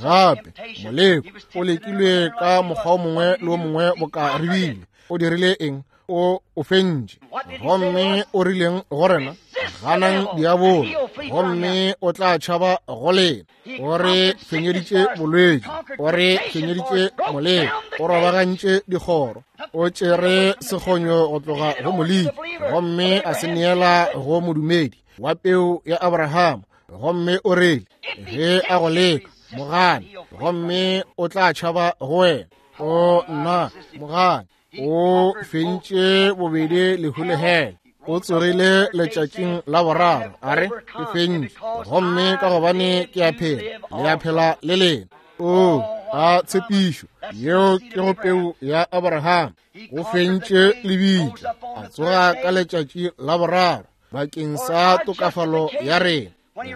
[SPEAKER 1] Gape moleko o lekilwe ka mokgwa o mongwe le o mongwe boka re bile. O dirile eng? O o fentše. Gomme o rileng go rena? Ganang diabolo, gomme o tla tšhaba go lena. O re fenyeditše bolwetši, o re fenyeditše moleko, o robagantše dikgoro, o tšere sekgonyo go tloga go moleki, gomme a se neela go modumedi wa peu ya Abraham. Gomme o rile, ge a go leka, mogane, gomme o tla tšhaba go wena. O nna, mogane.
[SPEAKER 2] O fentše bobedi lehu le hele. O tsogile letšatšing la boraro, a re, ke fentše, gomme ka gobane ke a phela, le a phela le lena. O a tshepišo yeo ke go peu ya Abraham. O fentše lebitla, a tsoga ka letšatši la boraro bakeng sa tokafalo ya rena.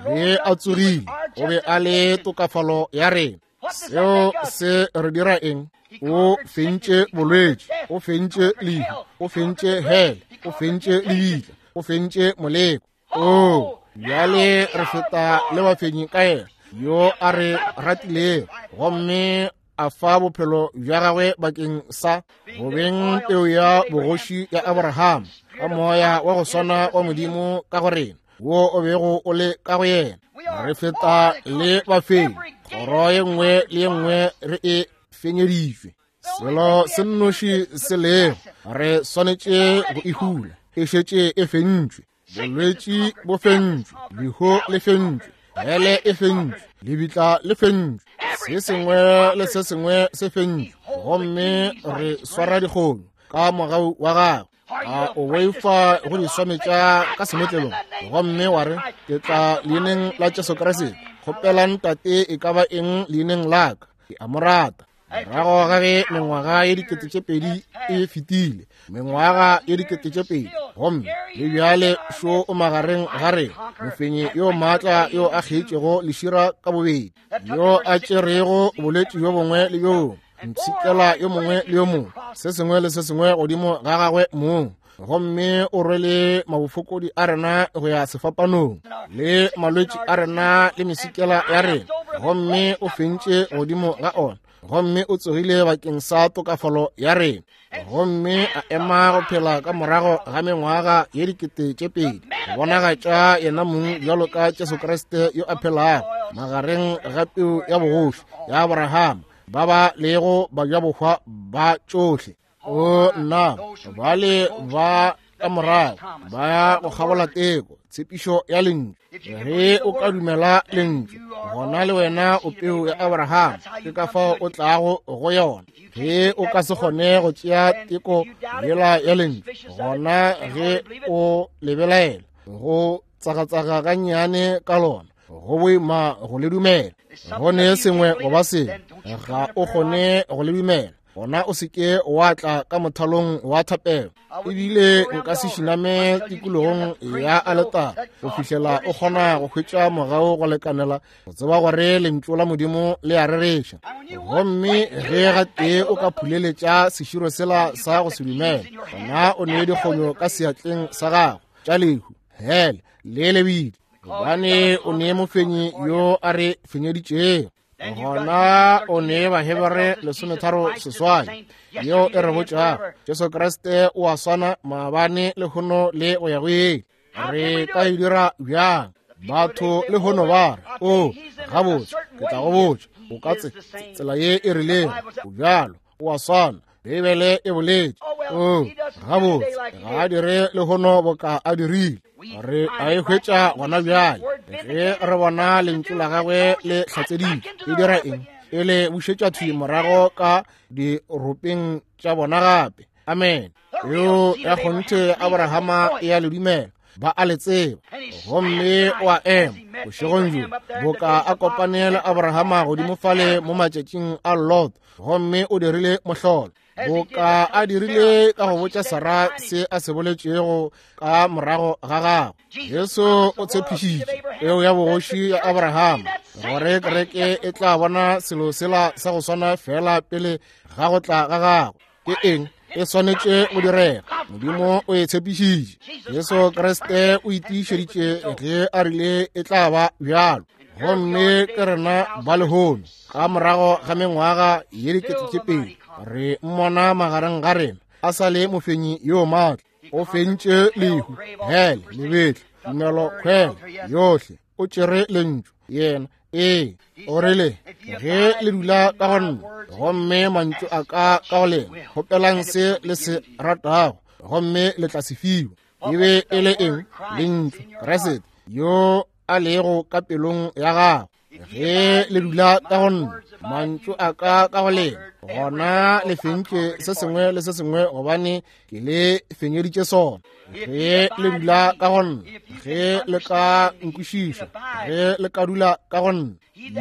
[SPEAKER 2] Ge a tsogile, o be a le tokafalo ya rena. Seo se re dira eng? O fentše bolwetši, o fentše lehu, o fentše hele, o fentše lebitla, o fentše moleko. O bjale re feta le bafenyi ka yena yo a re ratilego gomme a fa bophelo bja gagwe bakeng sa go beng peo ya bogoši ya Abraham ka moya wa go swana wa Modimo ka go rena wo o bego o le ka go yena. Re feta le bafenyi, kgoro ye nngwe le ye nngwe re e fenyeditšwe. Selo se nnoši se lego re swanetše go e hula, e šetše e fentšwe. Bolwetši bo fentšwe, lehu le fentšwe, hele e fentšwe, lebitla le fentšwe, se sengwe le se sengwe se fentšwe, gomme re swara dikgomo ka mogau wa gagwe. A o boifa go di swametša ka semetlelong gomme wa re, ke tla leineng la Jesu Kriste, kgopelang Tate e ka ba eng leineng la ka, ke a mo rata. Morago ga ge mengwaga ye 2000 e fetile, mengwaga ye 2000, gomme le bjale šo o magareng ga rena, mofenyi yo maatla yo a kgeitšego lešira ka bobedi, yo a tšerego bolwetši bjo bongwe le bjo mpshikela yo mongwe le yo mongwe, se sengwe le se sengwe godimo ga gagwe mong, gomme o rwele mabofokodi a rena go ya sefapanong, le malwetši a rena le mesikela ya rena, gomme o fentše godimo ga ona, gomme o tsogile bakeng sa tokafalo ya rena, gomme a ema go phela ka morago ga mengwaga ye 2000 go bonagatša yena mong bjalo ka Jesu Kriste yo a phelago magareng ga peu ya bogoši ya Abraham, ba ba lego bajabohwa ba tšohle. O nna, bale ba ka morago ba ya go kgabola teko, tshepišo ya lentšu. Ge o ka dumela lentšu, gona le wena o peu ya Abraham, ke ka fao o tlago go yona. Ge o ka se kgone go tšea teko yela ya lentšu, gona ge o lebelaela go tsagatsaga gannyane ka lona, go boima go le dumela. Go ne sengwe goba sengwe, ga o kgone go le dumela, gona o se ke wa tla ka mothalong wa thapelo. Ebile nka se šiname tikologong ya aletara go fihlela o kgona go hwetša mogau go lekanela go tseba gore lentšu la Modimo le a rereša. Gomme ge gatee o ka phuleletša seširo sela sa go se dumela, gona o ne dikgonyo ka seatleng sa gago tša lehu, hele le lebitla, gobane o ne mofenyi yo a re fenyeditšego. Gona o ne Bahebere 13:8 yeo e re botšago Jesu Kriste o a swana maabane, lehono le go ya go ile. Re ka e dira bjang? Batho lehono ba re, o gabotse, ke tla go botša, o ka tsela ye e rilego, o bjalo, o a swana, Beibele e boletše. O gabotse, ga a dire lehono boka a dirile. Re a e hwetša gona bjale ge re bona lentšu la gagwe le hlatseditšwe. E dira eng? E le bušetša thwi morago ka diropeng tša bona gape. Amen. Yo ya kgonthe Abrahama e a le dumela, ba a le tseba, gomme o a ema bošegong bjo boka a kopane le Abrahama godimo fale mo matšatšing a Lot, gomme o dirile mohlolo boka a dirile ka go botša Sara se a se boletšego ka morago ga gagwe. Jesu o tshepišitše peo ya bogoši ya Abraham gore kereke e tla bona selo sela sa go swana fela pele ga go tla ga gagwe. Ke eng e swanetše go direga? Modimo o e tshepišitše. Jesu Kriste o itiišeditše ge a rile e tla ba bjalo. Gomme ke rena ba lehono ka morago ga mengwaga ye 2000 re mmona magareng ga rena a sa le mofenyi yo maatla. O fentše lehu, hele, lebetla, tumelo, kgwele yohle. O tšere lentšu yena. Ee, o rile, ge le dula ka go nna gomme mantšu a ka ka go lena, kgopelang se le se ratago gomme le tla se fiwa. E be e le eng? Lentšu, Kriste yo a lego ka pelong ya gago. Ge le dula ka go nna, mantšu a ka ka go lena, gona le fentše se sengwe le se sengwe, gobane ke le fenyeditše sona. Ge le dula ka go nna, ge le ka nkwešiša, ge le ka dula ka go nna,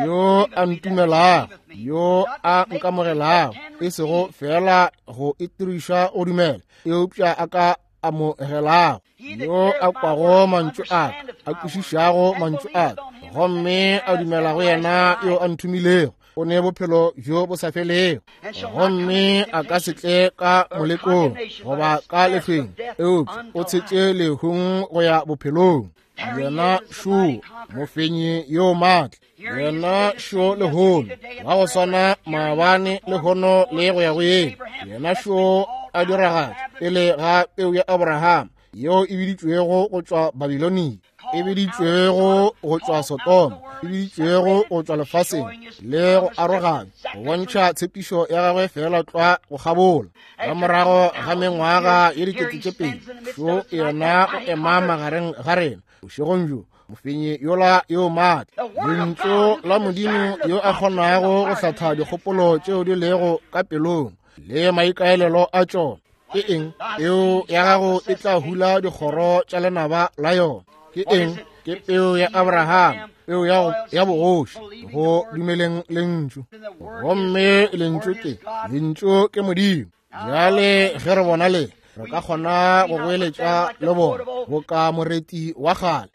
[SPEAKER 2] yo a ntumelago, yo a nkamogelago, e sego fela go itiriša o dumela, eupša a ka amogelago, yo a kwago mantšu a ka, a kwešišago mantšu a ka, gomme a dumela go yena yo a nthomilego, o ne bophelo bjo bo sa felego, gomme a ka se tle ka molekong goba ka lefeng, eupša o tshetše lehung go ya bophelong. Yena šo mofenyi yo maatla, yena šo lehono, wa go swana maabane, lehono le go ya go yeng. Yena šo a diragatša pele ga peu ya Abraham yeo e biditšwego go tšwa Babilonia, e biditšwego go tšwa Sodoma, e biditšwego go tšwa lefaseng le go aroganya, go bontšha tshepišo ya gagwe fela tlwa go kgabola. Ka morago ga mengwaga ye 2000, šo yena o ema magareng ga rena bošegong bjo, mofenyi yola yo maatla, lentšu la Modimo yo a kgonago go hlatha dikgopolo tšeo di lego ka pelong le maikaelelo a tšona. Ke eng? Peo ya gago e tla hula dikgoro tša lenaba la yona. Ke eng? Ke peu ya Abraham, peu ya bogoši, go dumeleng lentšu. Gomme lentšu ke, lentšu ke Modimo. Bjale ge re bona le, re ka kgona go goeletša le bona boka moreti wa kgale,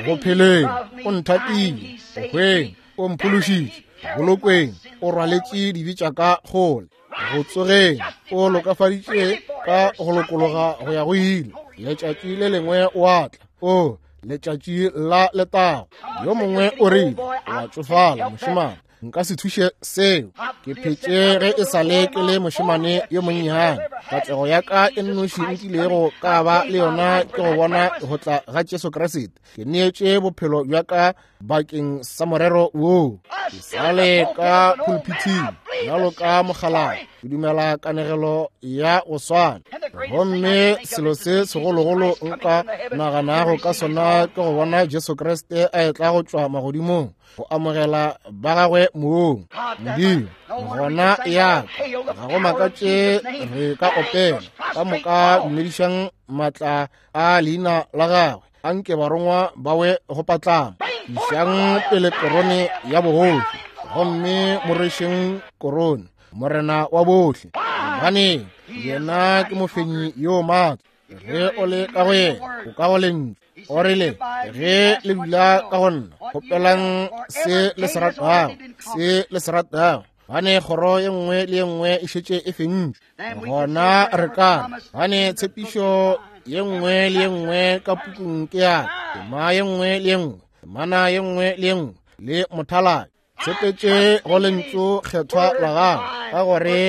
[SPEAKER 2] go pheleng o nthatile, go hweng o mphološitše, bolokweng o rwaletše dibe tša ka kgole, go tsogeng o lokafaditše ka go lokologa go ya go ile. Letšatši le lengwe o a tla, o letšatši la letago. Yo mongwe o rile, wa tšofala mošemane, nka se thuše seo, ke phetše ge e sa le ke le mošemane yo monnyane. Katlego ya ka e nnoši nkilego ka ba le yona ke go bona go tla ga Jesu Kriste. Ke neetše bophelo bja ka bakeng sa morero woo. Ke sale ka pulpithing bjalo ka mokgalabje, ke dumela kanegelo ya go swana. Gomme selo se segologolo nka naganago ka sona ke go bona Jesu Kriste a etla go tšwa magodimong go amogela ba gagwe moong. Modimo gona ya ka, ga go makatše re ka opela ka moka, dumedišang maatla a leina la gagwe, anke barongwa ba we go patlama. Išang pele korone ya bogoši, gomme mo rwešeng korone, Morena wa bohle, gobane yena ke mofenyi yo maatla. Ge o le ka go yena, o ka go lentšu. O rile, ge le dula ka go nna, kgopelang se le se ratago, se le se ratago, gobane kgoro ye nngwe le ye nngwe e šetše e fentšwe. Gona re ka gane tshepišo ye nngwe le ye nngwe ka pukung ke ya tema ye nngwe le ye nngwe, temana ye nngwe le ye nngwe le mothaladi. Tshepetše go lentšu kgethwa la gago, ka gore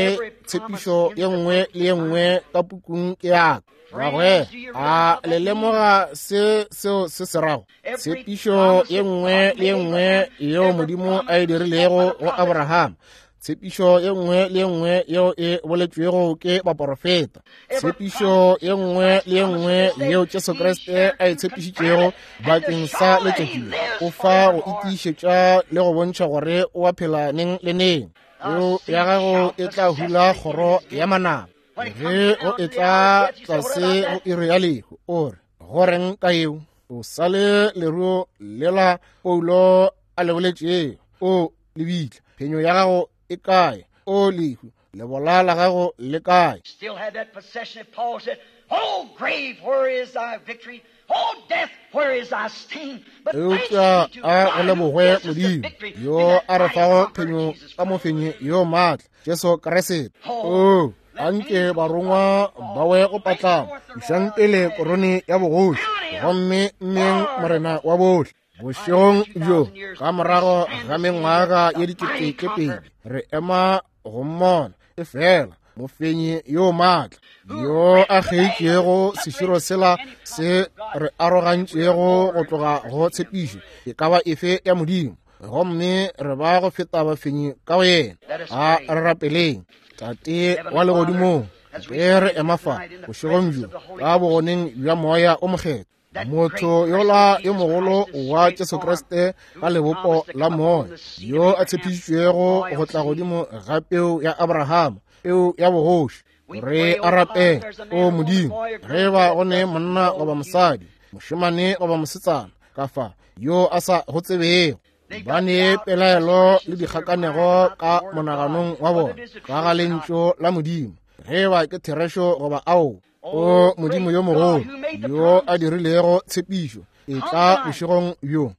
[SPEAKER 2] tshepišo ye nngwe le ye nngwe ka pukung ke ya ka. Gagwe a le lemoga se seo se se rago? Tshepišo ye nngwe le ye nngwe yeo Modimo a e dirilego go Abraham, tshepišo ye nngwe le ye nngwe yeo e boletšwego ke baporofeta, tshepišo ye nngwe le ye nngwe yeo Jesu Kriste a e tshepišitšego bakeng sa letšatši, o fa go itiišetša le go bontšha gore o a phela neng le neng. Peo ya gago e tla hula kgoro ya manaba. Ge o etla tlase go iri ya lehu, o re, go reng ka eo? O sale leruo lela Paulo a le boletšego, o lebitla, phenyo ya gago e kae? O lehu, lebola la gago le kae?
[SPEAKER 3] Still had that possession that Paul said, Oh, grave, where is thy victory? Oh, death, where is thy sting? But thanks
[SPEAKER 2] Eupša
[SPEAKER 3] be to
[SPEAKER 2] a go
[SPEAKER 3] God who
[SPEAKER 2] lebogwe
[SPEAKER 3] gives us the
[SPEAKER 2] Modimo
[SPEAKER 3] victory
[SPEAKER 2] yo
[SPEAKER 3] through that
[SPEAKER 2] a re
[SPEAKER 3] mighty
[SPEAKER 2] fago
[SPEAKER 3] conqueror,
[SPEAKER 2] phenyo
[SPEAKER 3] Jesus
[SPEAKER 2] ka
[SPEAKER 3] Christ.
[SPEAKER 2] mofenyi yo maatla, Jesu Kriste. O anke barongwa ba we go patlama, išang pele korone ya bogoši, gomme mmeng Morena wa bohle. Bošegong bjo, ka morago ga mengwaga ye 2000, re ema go mmona e fela mofenyi yo maatla yo a kgeitšego seširo sela se re arogantšego go tloga go tshepišo e ka ba efe ya Modimo, gomme re ba go feta bafenyi ka go yena. A re rapeleng. Tate wa legodimong, ge re ema fa bošegong bjo ka bogoneng bja Moya o Mokgethwa, Motho yola yo mogolo wa Jesu Kriste ka lebopo la moya, yo a tshepišitšwego go tla godimo ga peu ya Abrahama, peu ya bogoši. Re a rapela, o Modimo, ge ba go ne monna goba mosadi, mošemane goba mosetsana ka fa yo a sa go tsebego, ba ne pelaelo le dikgakanego ka monaganong wa bona ka ga lentšu la Modimo, ge ba ke therešo goba ao. O Modimo yo mogolo, yo a dirilego tshepišo, e tla bošegong bjo.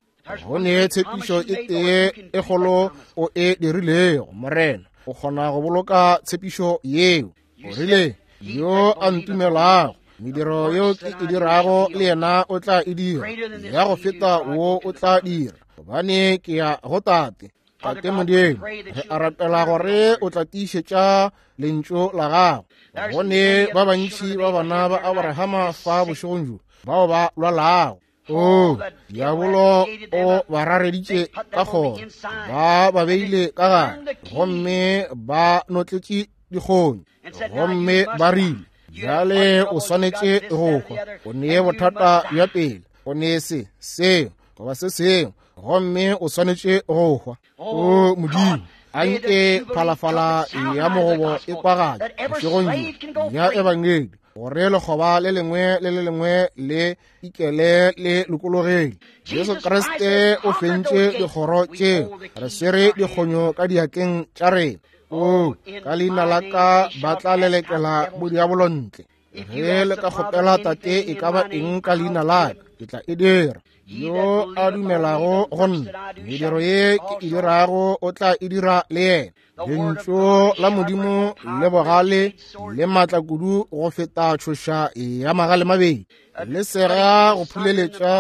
[SPEAKER 2] Go ne tshepišo e tee e kgolo o e dirilego, Morena, o kgona go boloka tshepišo yeo. O rile, yo a ntumelago, mediro yeo ke e dirago le yena o tla e dira, ya go feta wo o tla dira, gobane ke ya go Tate. Tate Modimo, re a rapela gore o tla tiišetša lentšu la gago. Go ne ba bantši ba bana ba Abrahama fa bošegong bjo bao ba lwalago. O diabolo o ba rareditše ka kgoro, ba ba beile ka gare, gomme ba notletše dikgonyo, gomme ba rile, bjale o swanetše go hwa, o ne bothata bja pele, o ne se seo goba se sengwe, gomme o swanetše go hwa. O Modimo, a nke phalafala ya mogobo e kwagatše bošegong bjo ya ebangedi, gore lekgoba le lengwe le le lengwe le ikele le lokologele. Jesu Kriste o fentše dikgoro tšeo, re swere dikgonyo ka diatleng tša rena. O ka leina la ka ba tla lelekela bodiabolo ntle. Ge le ka kgopela Tate e ka ba eng ka leina la ka, ke tla e dira. Yo a dumelago go nna, mediro ye ke e dirago o tla e dira le yena. Lentšu la Modimo le bogale le maatla kudu go feta tšhoša ya magale mabedi, le sega go phuleletša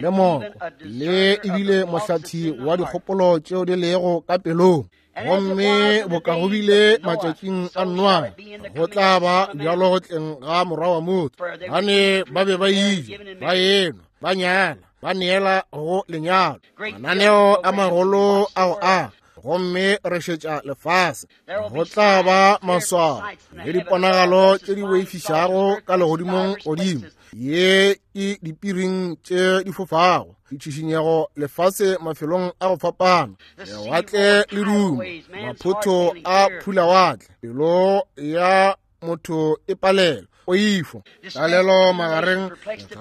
[SPEAKER 2] le moko, le ebile mohlathi wa dikgopolo tšeo di lego ka pelong. Gomme boka go bile matšatšing a Noa, go tla ba bjalo go tleng ga morwa wa motho. Bane ba be ba ija, ba enwa, ba nyala, ba neela go lenyalo, mananeo a magolo ao a, gomme re šetša lefase. Go tla ba maswao le diponagalo tše di boifišago ka legodimong godimo, ye ke dipiring tše di fofago, ditšhišinyego lefase mafelong a go fapana, lewatle le duma, maphotho a phulawatle, pelo ya motho e palela, poifo, tlalelo magareng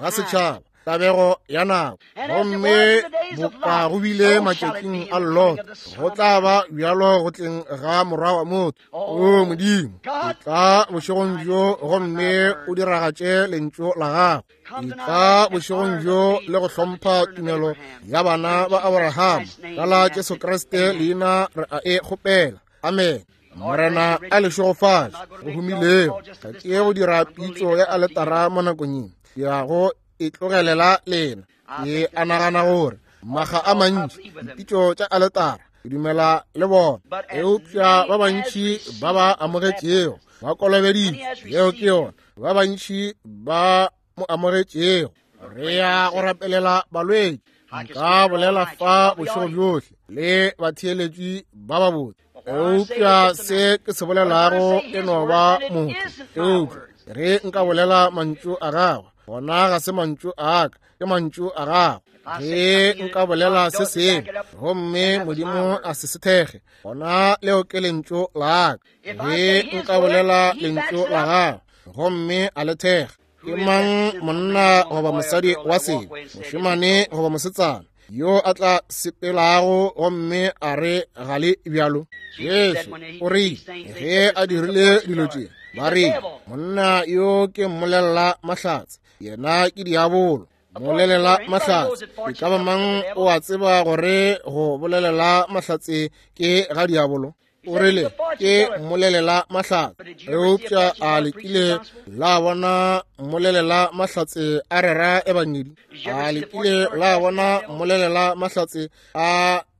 [SPEAKER 2] ga setšhaba, tabego ya nako. Gomme boka go bile matšatšing a Lot, go tla ba bjalo go tleng ga morwa wa motho. O Modimo, e tla bošegong bjo gomme o diragatše lentšu la gago. E tla bošegong bjo le go hlompha tumelo ya bana ba Abrahama. Ka la Jesu Kriste leina re a e kgopela. Amen. Morena a le šegofatše go humilego. Ga ke go dira pitšo ya aletara mo nakong ye, ke ya go e tlogelela lena. Ke a nagana gore maga a mantši dipitšo tša aletara ke dumela le bona, eupša ba bantši ba ba amogetšego ba kolobeditšwe, yeo ke yona, ba bantši ba mo amogetšego. Re ya go rapelela balwetši. Nka bolela fa bošego bjohle le batheeletši ba babotse, eupša se ke se bolelago e no ba motho. Eupša re nka bolela mantšu a gagwe, gona ga se mantšu a ka, ke mantšu a gagwe. Ge nka bolela se sengwe gomme Modimo a se se thekge, gona leo ke lentšu la ka. Ge nka bolela lentšu la gagwe gomme a le thekga, ke mang monna goba mosadi wa sebe, mošemane goba mosetsana, yo a tla sepelago gomme a re ga le bjalo? Jesu o rile ge a dirile dilo tše, ba rile monna yo ke mmolelela mahlatse, yena ke diabolo. Mmolelela mahlatse, e ka ba mang o a tseba gore go bolelela mahlatse ke ga diabolo? O rile ke mmolelela mahlatse. Eupša a le kile la bona mmolelela mahlatse a rera ebangedi? A le kile la bona mmolelela mahlatse a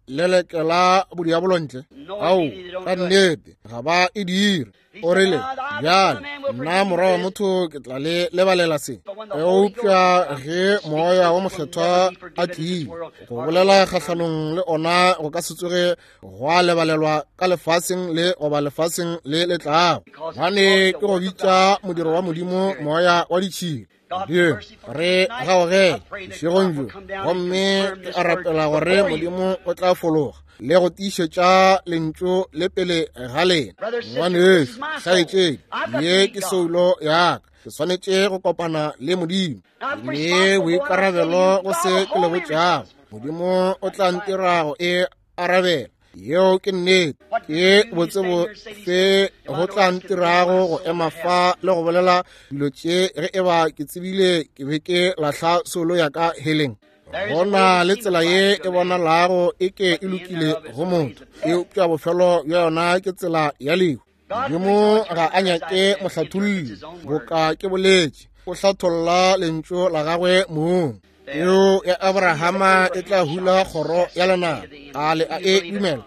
[SPEAKER 2] lelekela bodiabolo ntle? Ao, ka nnete ga ba e dire. O rile, bjale nna morwa wa motho ke tla le lebalela se. Eupša ge moya wa mokgethwa a tlile go bolela kgahlanong le ona, go ka se tsoge gwa lebalelwa ka lefaseng le goba lefaseng le le tlago, gobane ke go bitša modiro wa Modimo moya wa ditšhila. Modimo, re gaogele bošegong bjo, gomme ke a rapela gore Modimo o tla fologa le go tiišetša lentšu le pele ga lena. Ngwanešu, kgaetšedi, ye ke soulo ya ka. Ke swanetše go kopana le Modimo. Le boikarabelo go se ke le botšago. Modimo o tla ntira go e arabela. Yeo ke nnete. Ke botsebo se go tla ntirago go ema fa le go bolela dilo tše ge e ba ke tsebile ke be ke lahla soulo ya ka heleng. Go na le tsela ye e bonalago e ke e lokile go motho, eupša bofelo bja yona ke tsela ya lehu. Modimo ga a nyake mohlatholli, boka ke boletše, o hlatholla lentšu la gagwe mong. Peu ya Abrahama e tla hula kgoro ya lenaba. A le a e dumela?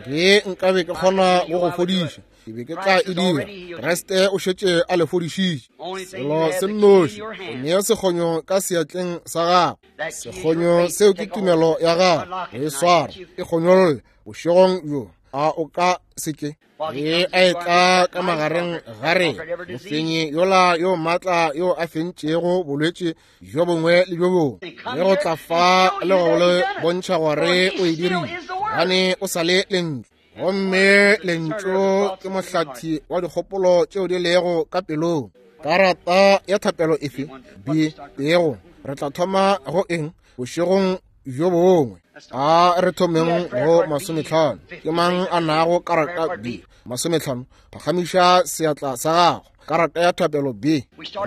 [SPEAKER 2] Ge nkabe ke kgona go go fodiša, ke be ke tla e dira. Kriste o šetše a le fodišitše. Selo se nnoši, o nea sekgonyo ka seatleng sa gago. Sekgonyo seo ke tumelo ya gago. Go e swara, e kgonyolle bošegong bjo. A o ka se ke? Ge a etla ka magareng ga rena, mofenyi yola yo maatla yo a fentšego bolwetši bjo bongwe le bjo bongwe, le go tla fa le go le bontšha gore o e dirile, gobane o sa le lentšu. Gomme lentšu ke mohlathi wa dikgopolo tšeo di lego ka pelong. Karata ya thapelo efe? B, pego. Re tla thoma go eng bošegong bjo bongwe? A re thomeng go 50. Ke mang a nago karata B? 50. Phagamiša seatla sa gago. Karata ya thapelo B.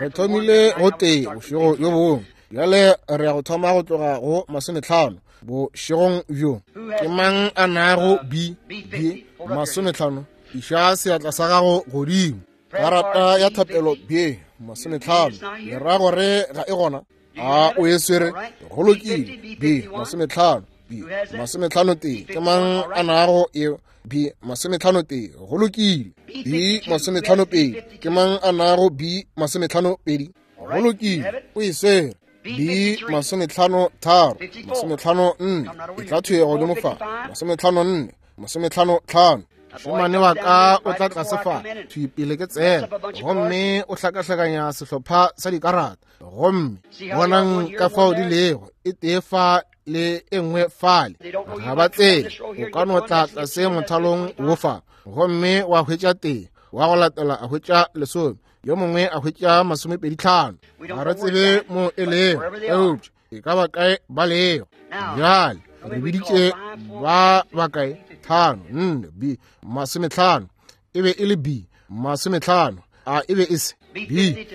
[SPEAKER 2] Re thomile go tee bošego bjo bongwe. Bjale re ya go thoma go tloga go 50 bošegong bjo. Ke mang a nago B? B 50. Iša seatla sa gago godimo. Karata ya thapelo B 50. Le ra gore ga e gona? A o e swere? Go lokile. B 50. B 51. Ke mang a nago e? B 51. Go lokile. B 52. Ke mang a nago B 52? Go lokile. O e swere. B 53, 54. E tla thwe godimo fa. 54, 55. Mošemane wa ka o tla tlase fa thwi pele ke tsena, gomme o hlakahlakanya sehlopha sa dikarata, gomme bonang ka fao di lego, e tee fa le e nngwe fale. Ga ba tsebe. O ka no tla tlase mothalong wo fa, gomme wa hwetša tee, wa go latela a hwetša 10, yo mongwe a hwetša 25. Ga re tsebe mo e lego, eupša e ka ba kae ba lego. Bjale re biditše ba bakae? 5, 4, B 50. E be e le B 50. A e be e se B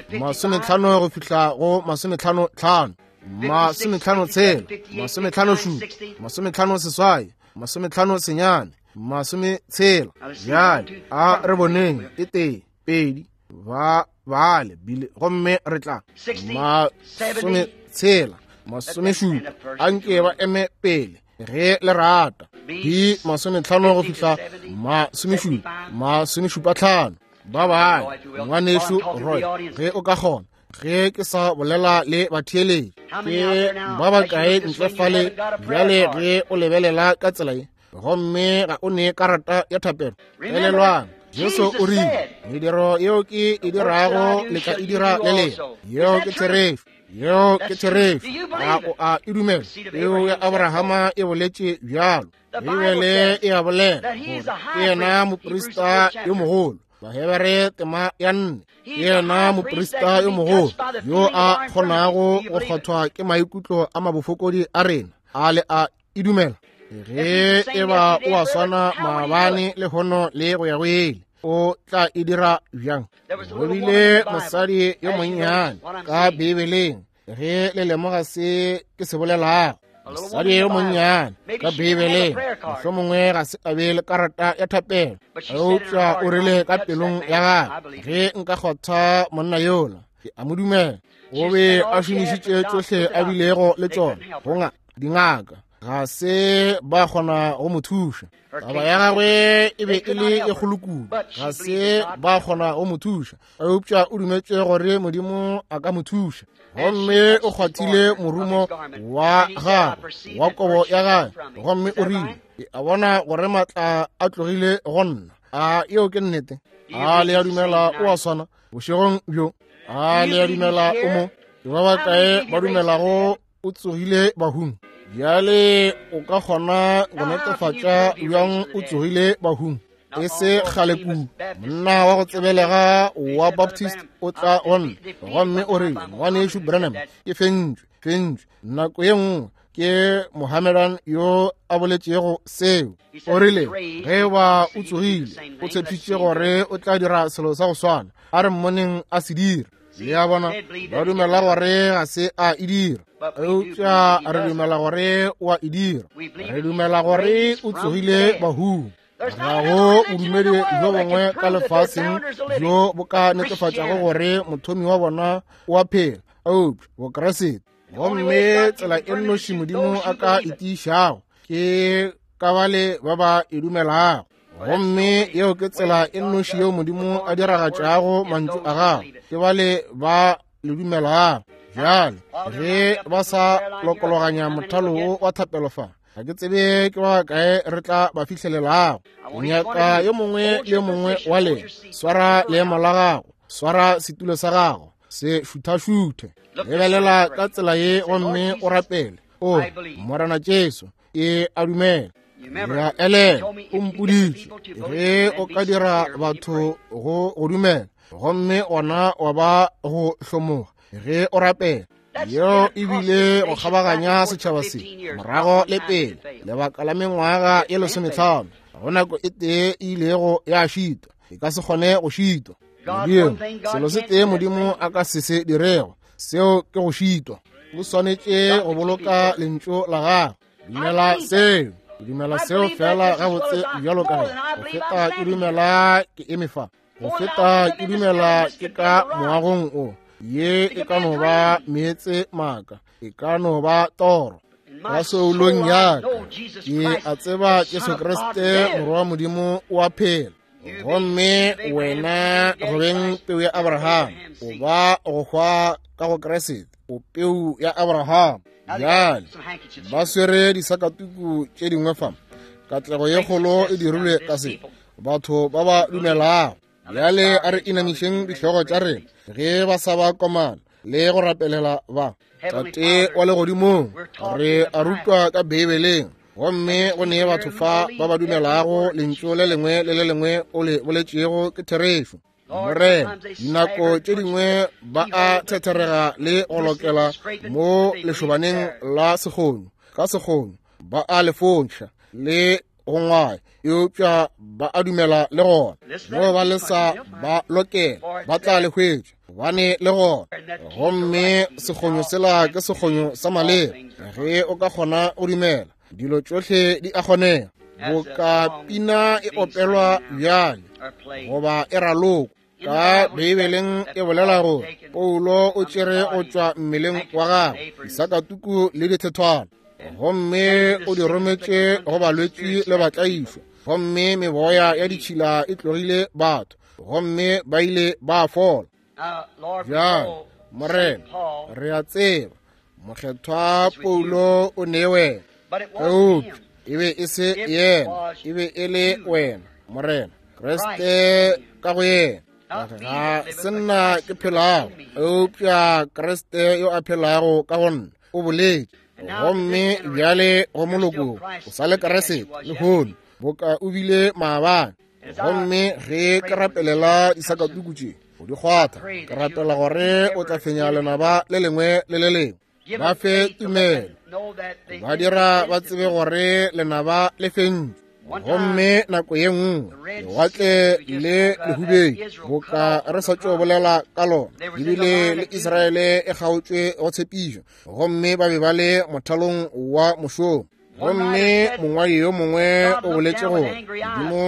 [SPEAKER 2] 50 go fihla go 55, 56, 57, 56, 59, 60. Bjale a re boneng e tee, pedi, ba bale bile, gomme re tla 60, 70. Anke ba eme pele ge le rata. B 50 go fihla 70, 75. Ba bale, ngwanešu Roy, ge o ka kgona, ge ke sa bolela le batheeletši, ke ba bakae ntle fale bjale ge o lebelela ka tsela ye, gomme ga o ne karata ya thapelo? Elelwang, Jesu o rile, mediro yeo ke e dirago le tla e dira le lena. Yeo ke therešo. Yeo ke therešo. A o a e dumela? Peu ya Abrahama e boletše bjalo. Beibele e a bolela gore ke yena moprista yo mogolo. Bahebere tema ya 4. Ke yena moprista yo mogolo yo a kgonago go kgwathwa ke maikutlo a mabofokodi a rena. A le a e dumela? Ge e ba o a swana maabane le hono le go ya go ile, o tla e dira bjang? Go bile mosadi yo monnyane ka Beibeleng, ge le lemoga se ke se bolelago. Mosadi yo monnyane ka Beibeleng, mohlomongwe ga se a be le karata ya thapelo, eupša o rile ka pelong ya gagwe, ge nka kgotha monna yola, ke a mo dumela. O be a šomišitše tšohle a bilego le tšona go dingaka, ga se ba kgona go mo thuša. Taba ya gagwe e be e le e kgolo kudu, ga se ba kgona go mo thuša, eupša o dumetše gore Modimo a ka mo thuša. Gomme o kgwathile morumo wa gagwe wa kobo ya gagwe, gomme o rile, ke a bona gore maatla a tlogile go nna. A yeo ke nnete? A le a dumela o a swana bošegong bjo? A le a dumela o mo? Ke ba bakae ba dumelago o tsogile bahung? Bjale o ka kgona go netefatša bjang o tsogile bahung? E se kgale kudu, monna wa go tsebelega wa Baptist o tla go nna gomme o rile, Ngwanešu Branham, ke fentšwe nako ye nngwe ke Mohammedan yo a boletšego seo. O rile, ge ba o tsogile, o tshepišitše gore o tla dira selo sa go swana. A re mmoneng a se dira. Le a bona, ba dumela gore ga se a e dira, eupša re dumela gore o a e dira. Re dumela gore o tsogile bahung. Ga go bodumedi bjo bongwe ka lefaseng bjo bo ka netefatšago gore mothomi wa bona o a phela, eupša Bokriste. Gomme tsela e nnoši Modimo a ka e tiišago ke ka bale ba ba e dumelago. Gomme yeo ke tsela e nnoši yeo Modimo a diragatšago mantšu a gagwe, ke bale ba le dumelago. Bjale ge ba sa lokologanya mothalo wo wa thapelo fa, ga ke tsebe ke ba kae re tla ba fihlelelago. Nyaka yo mongwe le yo mongwe wa lena, swara leemo la gago, swara setulo sa gago, se šuthašuthe, lebelela ka tsela ye gomme o rapele. O Morena Jesu, ke a dumela. Ya elela, o mpoditše ge o ka dira batho go go dumela, gomme ona wa ba go hlomoga ge o rapela. Yeo e bile go kgabaganya setšhaba se morago le pele lebaka la mengwaga ye 15. Go nako e tee e ilego ya šitwa, e ka se kgone go šitwa. Modimo, selo se tee Modimo a ka se se dirego, seo ke go šitwa. O swanetše go boloka lentšu la gagwe. Dumela seo, ke dumela seo fela gabotse bjalo ka ge go feta ke dumela ke eme fa, go feta ke dumela ke ka moagong o. Ye e ka no ba meetse maaka, e ka no ba toro. Ka soulong ya ka ke a tseba Jesu Kriste Morwa wa Modimo o a phela. Gomme wena go beng peu ya Abraham, o ba go hwa ka go Kriste, o peu ya Abraham. Bjale ba swere disakatuku tše dingwe fa. Katlego ye kgolo e dirilwe ka se, batho ba ba dumelago. Bjale a re inamišeng dihlogo tša rena ge ba sa ba komana le go rapelela ba. Tate wa legodimong, re a rutwa ka Beibeleng, gomme go ne batho fa ba ba dumelago lentšu le lengwe le le lengwe o le boletšego ke therešo. Morena, dinako tše dingwe ba a thetherega le go lokela mo lešobaneng la sekgonyo, ka sekgonyo ba a le fontšha le go ngwaya, eupša ba a dumela le gona. Mo ba le sa ba lokela, ba tla le hwetša, gobane le gona. Gomme sekgonyo sela ke sekgonyo sa maleba. Ge o ka kgona go dumela, dilo tšohle di a kgonega. Boka pina e opelwa bjale goba e ralokwa ka Beibeleng, e bolela gore Paulo o tšere go tšwa mmeleng wa gagwe disakatuku le dithethwana, gomme o di rometše go balwetši le batlaišwa, gomme meboya ya ditšhila e tlogile batho, gomme ba ile ba fola. Bjale Morena, re a tseba Mokgethwa Paulo o ne wena, eupša e be e se yena, e be e le wena, Morena Kriste ka go yena. Ga se nna ke phelago, eupša Kriste yo a phelago ka go nna o boletše. Gomme bjale go moloko o sa le Kriste lehono boka o bile maabane. Gomme ge ke rapelela disakatuku tše go di kgwatha, ke rapela gore o tla fenya lenaba le lengwe le le lengwe. Ba fe tumelo, ba dira ba tsebe gore lenaba le fentšwe. Gomme nako ye nngwe lewatle le lehubedi, boka re sa tšo bolela ka lona, ebile le Israele e kgaotšwe go tshepišo, gomme ba be ba le mothalong wa mošomo. Gomme mongwadi yo mongwe o boletše gore Modimo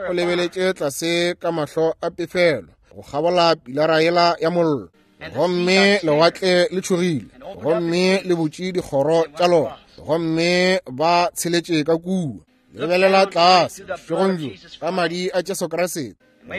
[SPEAKER 2] o lebeletše tlase ka mahlo a pefelo go kgabola pilara yela ya mollo, gomme lewatle le tšhogile, gomme le butše dikgoro tša lona, gomme ba tsheletše ka kua. Lebelela tlase bošegong bjo ka madi a Jesu Kriste,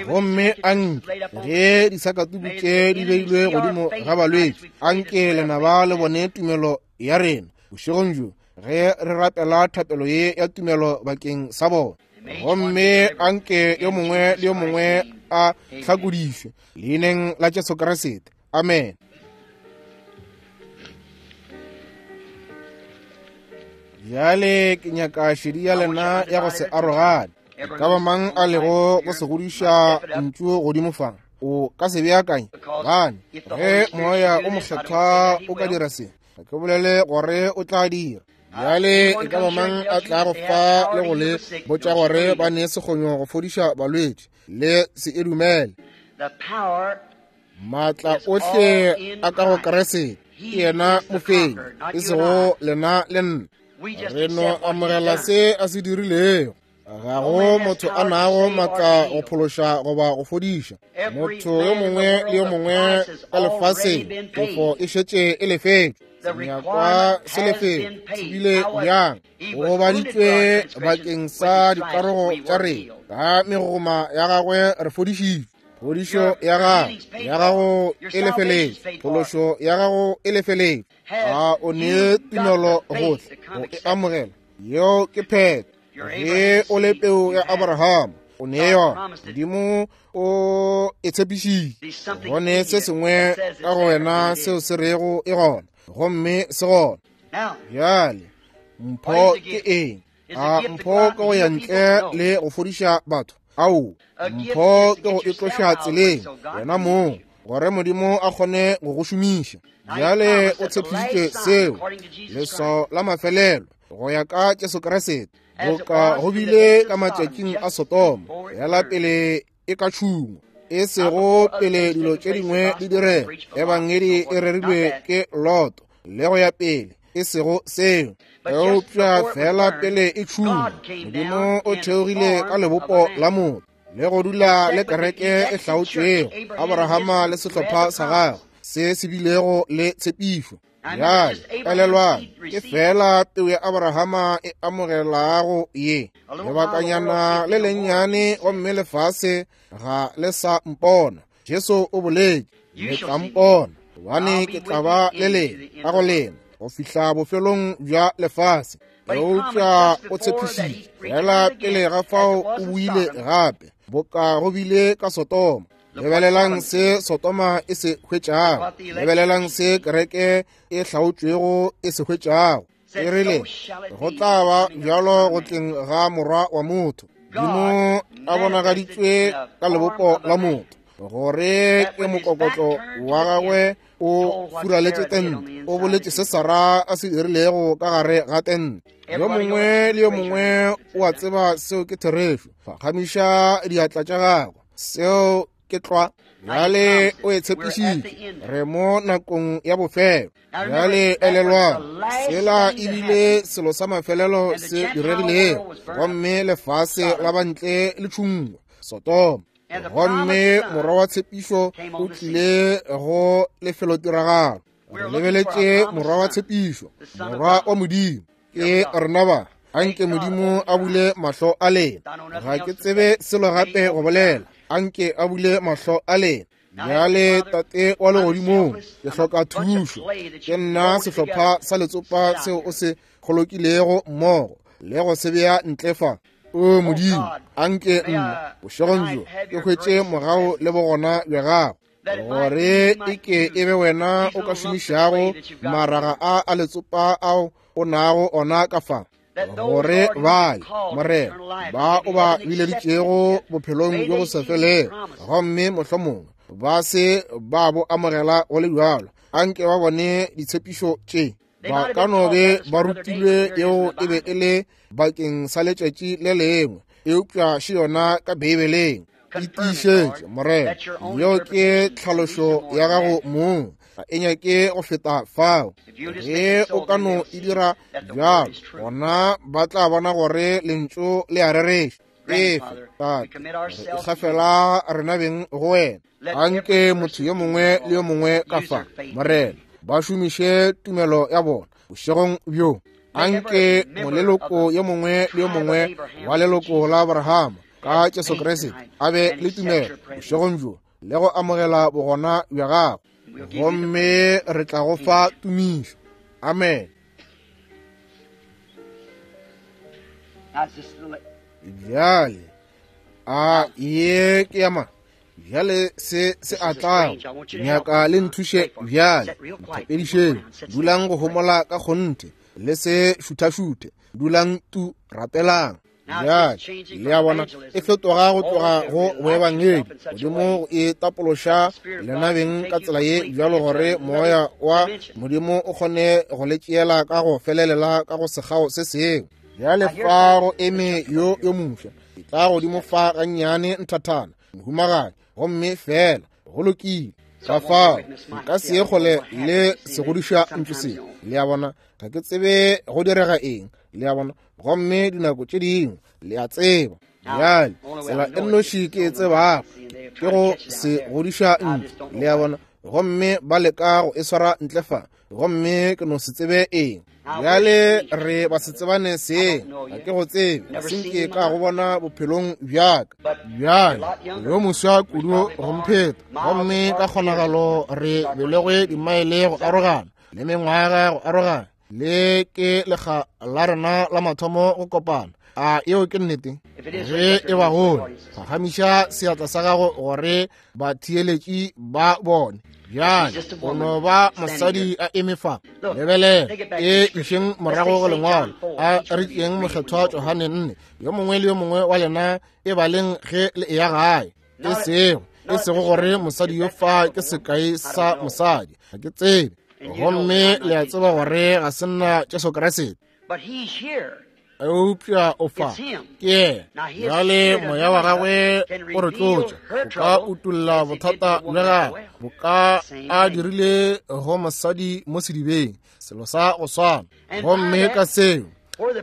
[SPEAKER 2] gomme anke ge disakatuku tše di beilwe godimo ga balwetši, anke lenaba le bone tumelo ya rena bošegong bjo ge re rapela thapelo ye ya tumelo bakeng sa bona. Gomme anke yo mongwe le yo mongwe a hlakodišwe leineng la Jesu Kriste. Amen. Bjale ke nyaka šedi ya lena ya go se arogane. E ka ba mang a lego go se godiša ntšu godimo fa, o ka se beakanye. Gobane ge Moya o Mokgethwa o ka dira se, ga ke bolele gore o tla dira. Bjale e ka ba mang a tlago fa le go le botša gore ba ne sekgonyo go fodiša balwetši, le se e dumele. Maatla ohle a ka go Kriste, ke yena mofenyi, e sego lena le nna. Re no amogela se a se dirilego. Ga go motho a nago maatla go phološa goba go fodiša. Motho yo mongwe le yo mongwe ka lefaseng, tefo e šetše e lefetšwe. Senyakwa se lefetšwe, se bile bjang? O gobaditšwe bakeng sa dikarogo tša rena, ka megoma ya gagwe re fodišitšwe. Phodišo ya gago, ya gago e lefeletšwe. Phološo ya gago e lefeletšwe. A o ne tumelo gohle go e amogela? Yeo ke phetho. Ge o le peu ya Abraham, o ne yona. Modimo o e tshepišitše. Go ne se sengwe ka go wena seo se rego e gona, gomme se gona. Bjale, mpho ke eng? A mpho ke go ya ntle le go fodiša batho? Ao, mpho ke go itloša tseleng wena mong, gore Modimo a kgone go go šomiša. Bjale o tshepišitše seo, leswao la mafelelo go ya ka Jesu Kriste, boka go bile ka matšatšing a Sodoma, yela pele e ka tšhungwa, e sego pele dilo tše dingwe di direga. Ebangedi e rerilwe ke Loto le go ya pele, e sego seo, eupša fela pele e tšhungwa, Modimo o theogile ka lebopo la motho le go dula le kereke e hlaotšwego, Abrahama le sehlopha sa gagwe se se bilego le tshepišo. Bjale elelwang, ke fela peu ya Abrahama e amogelago ye. Lebakanyana le lennyane gomme lefase ga le sa mpona. Jesu o boletše, le tla mpona, gobane ke tla ba le lena ka go lena go fihla bofelong bja lefase. Eupša o tshepišitše fela pele ga fao o buile gape, boka go bile ka Sodoma. Lebelelang se Sodoma e se hwetšago, lebelelang se kereke e hlaotšwego e se hwetšago. E rile, go tla ba bjalo go tleng ga Morwa wa motho. Modimo a bonagaditšwe ka lebopo la motho, gore ke mokokotlo wa gagwe o furaletše tente. O boletše se Sara a se dirilego ka gare ga tente. Yo mongwe le yo mongwe o a tseba seo ke therešo. Phagamiša diatla tša gago. Seo ke tlwa. Bjale o e tshepišitše. Re mo nakong ya bofelo. Bjale elelwang, sela e bile selo sa mafelelo se diregilego, gomme lefase la bantle le tšhungwa, Sodoma. Gomme morwa wa tshepišo o tlile go lefelotiragalo. Re lebeletše morwa wa tshepišo, morwa wa Modimo. Ke rena ba. Anke Modimo a bule mahlo a lena. Ga ke tsebe selo gape go bolela. Anke a bule mahlo a lena. Bjale, Tate wa legodimong, ke hloka thušo. Ke nna sehlopha sa letsopa seo o se kgolokilego mmogo le go se bea ntle fa. O Modimo, anke nna bošegong bjo ke hwetše mogau le bogona bja gago, gore e ke e be wena o ka šomišago maraga a a letsopa ao o nago ona ka fa, gore bale, Morena, ba o ba bileditšego bophelong bjo bo sa felego, gomme mohlomongwe ba se ba bo amogela go le bjalo, anke ba bone ditshepišo tše. Ba ka no be ba rutilwe yeo e be e le bakeng sa letšatši le lengwe, eupša še yona ka Beibeleng. E tiišetše, Morena, yeo ke tlhalošo ya gago mong, ga e nyake go feta fao. Ge o ka no e dira bjalo, gona ba tla bona gore lentšu le a rereša. Efe, Tate, re ikgafela rena beng go wena. Anke motho yo mongwe le yo mongwe ka fa, Morena, ba šomiše tumelo ya bona bošegong bjo. Anke moleloko yo mongwe le yo mongwe wa leloko la Abrahama ka Jesu Kriste a be le tumelo bošegong bjo le go amogela bogona bja gagwe, gomme re tla go fa tumišo. Amen. Bjale a ye ke ya mang? Bjale se se a tlago, nyaka le nthuše bjale. Nthapedišeng, dulang go homola ka kgonthe, le se šuthašuthe. Dulang tu, rapelang. Bjale, le a bona, e fetoga go tloga go boebangedi godimo go e tapološa lena beng ka tsela ye bjalo gore moya wa Modimo o kgone go le tšeela ka go felelela ka go sekgao se sengwe. Bjale fa go eme yo yo mofsa, e tla godimo fa gannyane nthathana, mohumagadi, gomme fela go lokile. Ka fao nka se ye kgole le segodiša ntlo se, le a bona, ga ke tsebe go direga eng, le a bona, gomme dinako tše dingwe le a tseba. Bjale tsela e nnoši ke e tsebago ke go se godiša ntlo, le a bona, gomme ba leka go e swara ntle fa, gomme ke no se tsebe eng. Bjale re ba se tsebane seng, ga ke go tsebe, ga se nke ka go bona bophelong bjaka. Bjale yo moswa kudu go mpheta, gomme ka kgonagalo re belegwe dimaele go arogana le mengwaga go arogana. Le ke lekga la rena la mathomo go kopana. A yeo ke nnete? Ge e ba gole, phagamiša seatla sa gago gore batheeletši ba bone. Bjale o no ba mosadi a eme fa. Lebelela e išeng morago go lengwalo, a re tšeeng mokgethwa Johane 4. Yo mongwe le yo mongwe wa lena e baleng ge le eya gae. E sego e sego gore mosadi yo fa ke sekai sa mosadi, ga ke tsebe, gomme le a tseba gore ga se nna Jesu Kriste, eupša o fa ke yena. Bjale moya wa gagwe o re tlotša, o ka utolla bothata bja gagwe, bo ka a dirile go mosadi mo sedibeng, selo sa go swana. Gomme ka seo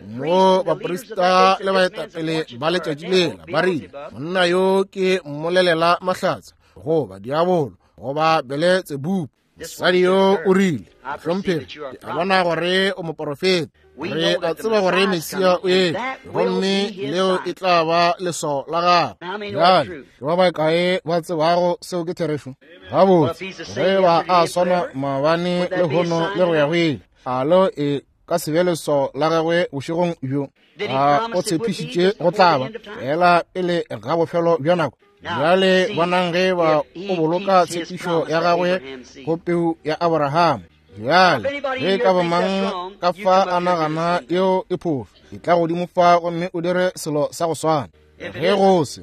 [SPEAKER 2] mo baprista le baetapele ba letšatši lela ba rile, monna yo ke mmolelela mahlatse, goba diabolo, goba Beletsebubu. Mosadi yo o rile, Hlomphegi, ke a bona gore o moporofeta. Re a tseba gore Mesia o etla, gomme leo e tla ba leswao la gagwe. Bjale ke ba bakae ba tsebago seo ke therešo? Gabotse, ge ba a swana maabane le hono le go ya go ile, a lo e ka se be leswao la gagwe bošegong bjo? A o tshepišitše go tla ba fela pele ga bofelo bja nako? Bjale bonang ge ba o boloka tshepišo ya gagwe go peu ya Abraham. Bjale ge ka ba mang ka fa a nagana yeo e phošo, e tla godimo fa gomme o dire selo sa go swana. Ge go se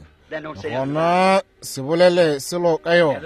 [SPEAKER 2] gona, se bolele selo ka yona,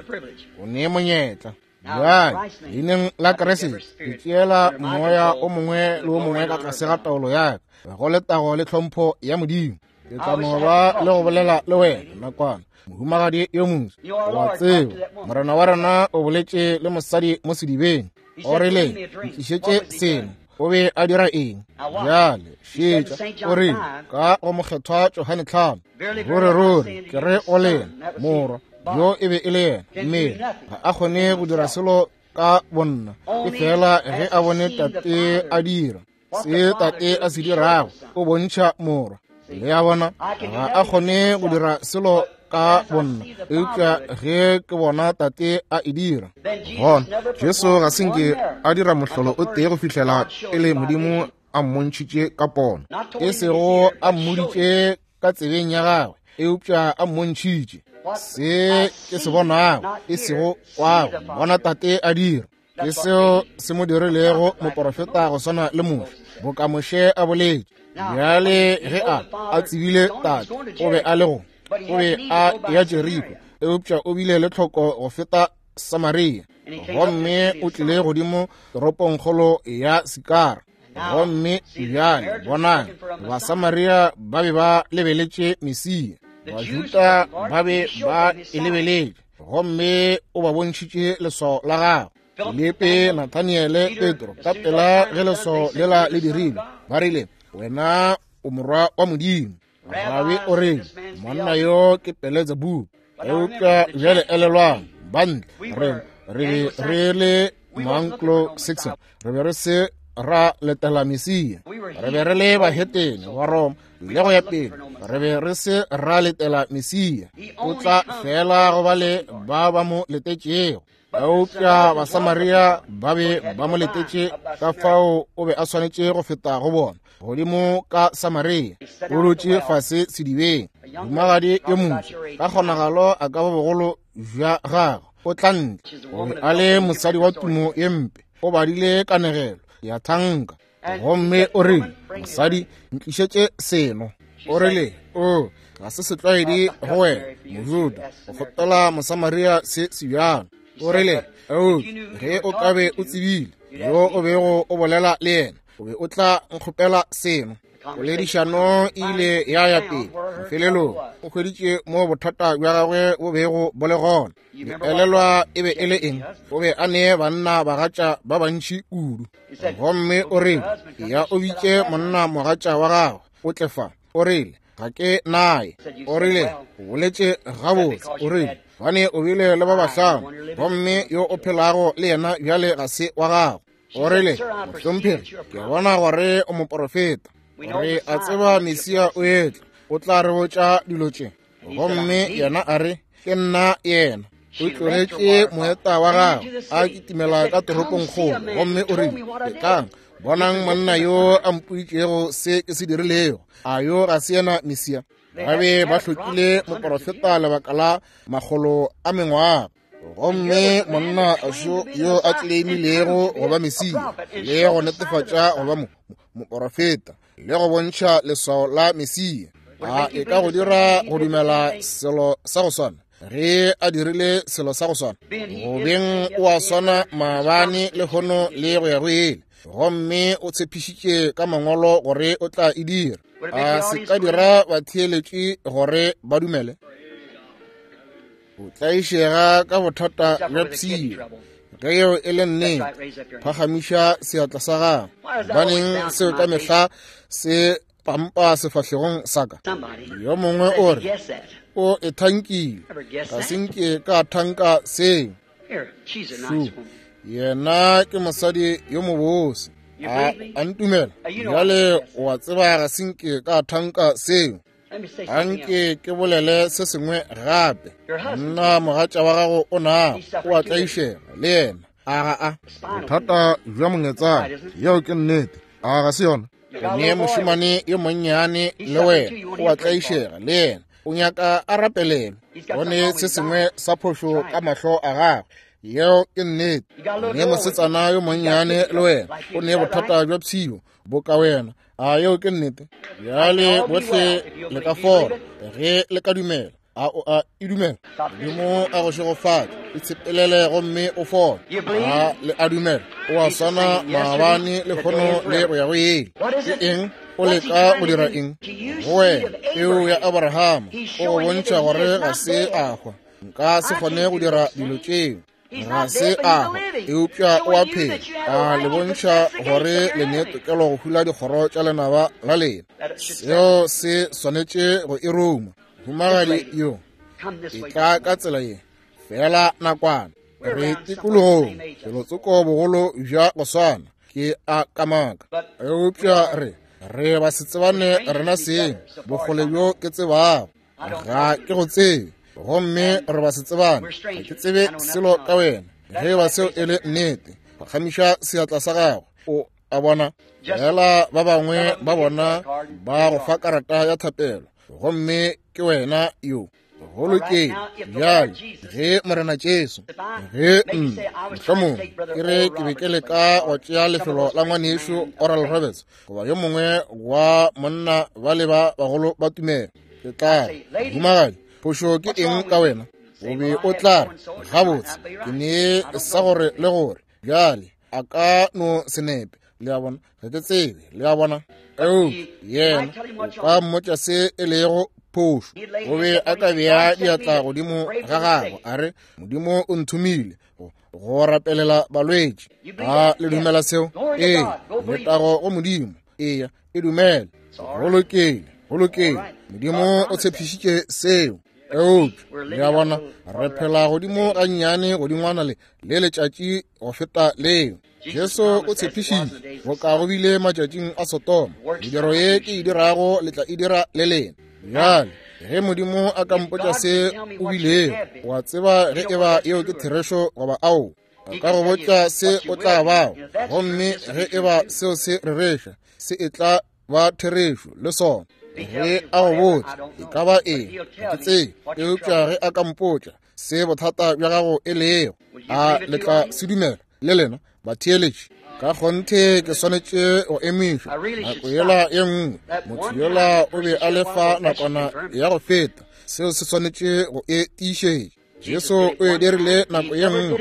[SPEAKER 2] o ne monyetla. Bjale leineng la Kriste ke tšeela moya o mongwe le o mongwe ka tlase ga taolo ya ka, go letago le tlhompho ya Modimo. Ke tla no ba le go bolela le wena nakwana, mohumagadi yo moswa. Wa tseba, Morena wa rena o boletše le mosadi mo sedibeng, o rile, ntlišetše seno. O be a dira eng? Bjale šetša, o rile ka go mokgethwa Johane 5, ruri ruri ke re o lena morwa yo e be e le yena, mme ga a kgone go dira selo ka bonna, e fela ge a bone tate a dira se tate a se dirago, o bontšha morwa. Le a bona, ga a kgone go dira selo ka bonna, eupša ge ke bona tate a e dira. Gona Jesu ga se nke a dira mohlolo o tee go fihlela pele Modimo a mmontšhitše ka pono, e sego a mmoditše ka tsebeng ya gagwe, eupša a mmontšhitše se ke se bonago, e sego kwago, bona tate a dira. Ke seo se mo dirilego moporofeta go swana le Moshe, boka Moshe a boletše. Bjale ge a tsebile tate o be a le go, o be a ya Jeriko, eupša o bile le tlhoko go feta Samaria, gomme o tlile godimo toropongkgolo ya Sikara. Gomme bjale bonang, Basamaria ba be ba lebeletše Mesia, Bajuda ba be ba e lebeletše, gomme o ba bontšhitše leswao la gagwe. Filipe, Nathaniele, Petro, ka pela ge leswao lela le dirilwe, ba rile, wena o morwa wa Modimo. Rabi o rile, monna yo ke Beletsebubu. Eupša bjale elelwang, bantle re be re le Maanglo-Saxon, re be re se ra letela Mesia, re be re le bahetene ba Roma le go ya pele, re be re se ra letela Mesia. O tla fela go ba le ba ba mo letetšego. Eupša Basamaria ba be ba mo letetše, ka fao o be a swanetše go feta go bona godimo ka Samaria. O dutše fase sedibeng, mohumagadi yo moswa, ka kgonagalo a ka ba bogolo bja gagwe, o tla ntle. O be a le mosadi wa tumo ye mpe, o badile kanegelo ya thanka. Gomme o rile, Mosadi, ntlišetše seno. O rile, O, ga se setlwaedi go wena, Mojuda, go kgopela Mosamaria se sebjalo. O rile, O, ge o ka be o tsebile yo o bego o bolela le yena, o be o tla nkgopela seno. Poledišano e ile ya ya pele. Mafelelong o hweditše mo bothata bja gagwe bo bego bo le gona. Le elelwa e be e le eng? O be a ne banna bagatša ba bantši kudu. Gomme o rile, Ya o bitše monna mogatša wa gagwe, o tle fa. O rile, Ga ke naye. O rile, O boletše gabotse. O rile, Gobane o bile le ba bahlano, gomme yo o phelago le yena bjale ga se wa gago. O rile, Mohlomphegi, ke bona gore o moporofeta. Re a tseba Mesia o etla, o tla re botša dilo tše. Gomme yena a re, Ke nna yena. O tlogetše moeta wa gagwe a kitimela ka toropongkgolo, gomme o rile, Etlang, bonang monna yo a mpoditšego se ke se dirilego. A yo ga se yena Mesia? Ba be ba hlokile moporofeta lebaka la makgolo a mengwaga. Gomme monna šo yo a tleimilego go ba Mesia le go netefatša go ba moporofeta le go bontšha leswao la Mesia, a e ka go dira go dumela selo sa go swana ge a dirile selo sa go swana? Go beng o a swana maabane, lehono le go ya go ile, gomme o tshepišitše ka mangwalo gore o tla e dira. A se ka dira batheeletši gore ba dumele? O tlaišega ka bothata bja pshio. Ge yeo e le nnete, phagamiša seatla sa gago. Gobaneng seo ka mehla se pampa sefahlegong sa ka? Yo mongwe o re, O e thankile. Ga se nke ka thanka seo. Shu, yena ke mosadi yo mobose. A ntumela. Bjale o a tseba ga se nke ka thanka seo. Anke ke bolele se sengwe gape. Monna mogatša wa gago o nago o a tlaišega le yena. A ga a? Bothata bja mongetsana. Yeo ke nnete. A ga se yona? O ne mošemane yo monnyane le wena, o a tlaišega le yena. O nyaka a rapelelwe. O ne se sengwe sa phošo ka mahlo a gagwe. Yeo ke nnete. O ne mosetsana yo monnyane le wena, o ne bothata bja pshio boka wena. A yeo ke nnete? Bjale bohle le ka fola ge le ka dumela. A o a e dumela? Modimo a go šegofatše. Itshepelele gomme o fole. A le a dumela? O a swana maabane, lehono le go ya go ile. Ke eng? O leka go dira eng? Go wena, peu ya Abrahama, o go bontšha gore ga se a hwa. Nka se kgone go dira dilo tšeo. Ga se a hwa, eupša o a phela. A le bontšha gore le ne tokelo go hula dikgoro tša lenaba la lena. Seo se swanetše go e ruma. Humagadi yo e tla ka tsela ye, feela nakwana. Re tikologong, felotsoko bogolo bja go swana, ke a kamaka. Eupša re ba se tsebane rena seng, bokgole bjo ke tsebago. Ga ke go tsebe, gomme re ba se tsebane. Ga ke tsebe selo ka wena. Ge ba seo e le nnete, phagamiša seatla sa gago. O a bona? Fela ba bangwe ba bona ba go fa karata ya thapelo, gomme ke wena yo. Go lokile. Bjale, ge Morena Jesu, ge nna mohlomongwe ke re ke be ke leka go tšea lefelo la ngwanešu Oral Roberts goba yo mongwe wa monna ba le ba bagolo ba tumelo, ke tla re, Mohumagadi, phošo ke eng ka wena? O be o tla re, Gabotse, ke ne sa gore le gore. Bjale, a ka no se nepe. Le a bona? Ga ke tsebe. Le a bona? Eupša yena o ka mmotša se e lego phošo. O be a ka bea diatla godimo ga gagwe, a re, Modimo o nthomile go rapelela balwetši. A le dumela seo? Ee, letago go Modimo. Eya, e dumele. Go lokile, go lokile. Modimo o tshepišitše seo. Eupša, le a bona, re phela godimo gannyane godingwana le letšatši go feta leo. Jesu o tshepišitše, boka go bile matšatšing a Sodoma, mediro ye ke e dirago le tla e dira le lena. Bjale, ge Modimo a ka mpotša se o bilego, o a tseba ge eba yeo ke therešo goba ao. A ka go botša se o tla bago, gomme ge eba seo se rereša, se e tla ba therešo le sona. Ge a go botša e ka ba eng, ga ke tsebe, eupša ge a ka mpotša se bothata bja gago e lego, a le tla se dumela le lena batheeletši? Ka kgonthe ke swanetše go emišwa. Nako yela ye nngwe, motho yola o be a le fa nakwana ya go feta. Seo se swanetše go e tiišetša. Jesu o e dirile nako ye nngwe,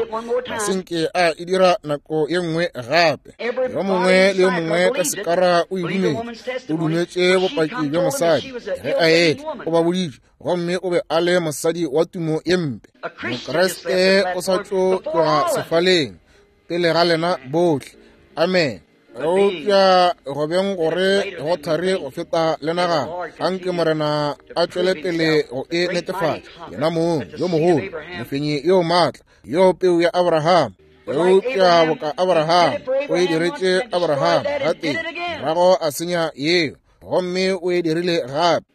[SPEAKER 2] ga se nke a e dira nako ye nngwe gape. Yo mongwe le yo mongwe ka sekara o e dumetše. O dumetše bopaki bja mosadi ge a etla, o ba boditše, gomme o be a le mosadi wa tumo ye mpe. Mokriste o sa tlo tloga sefaleng pele ga lena bohle. Amen. Eupša go beng gore go thari go feta le nagana, anke Morena a tšwele pele go e netefatša yena mong yo mogolo, mofenyi yo maatla, yo peu ya Abraham. Eupša boka Abraham, o e diretše Abraham gatee, morago a senya yeo, gomme o e dirile gape.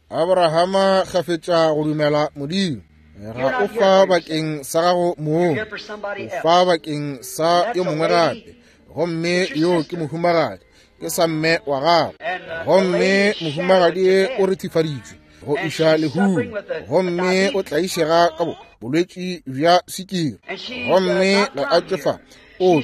[SPEAKER 2] Abrahama kgafetša go dumela Modimo. Ga o fa bakeng sa gago mong, o fa bakeng sa yo mongwe gape, gomme yo ke mohumagadi, ke sa mme wa gago. Gomme mohumagadi o rethifaditšwe go iša lehung, gomme o tlaišega ka bolwetši bja swikiri, gomme ga a tšwe fa. O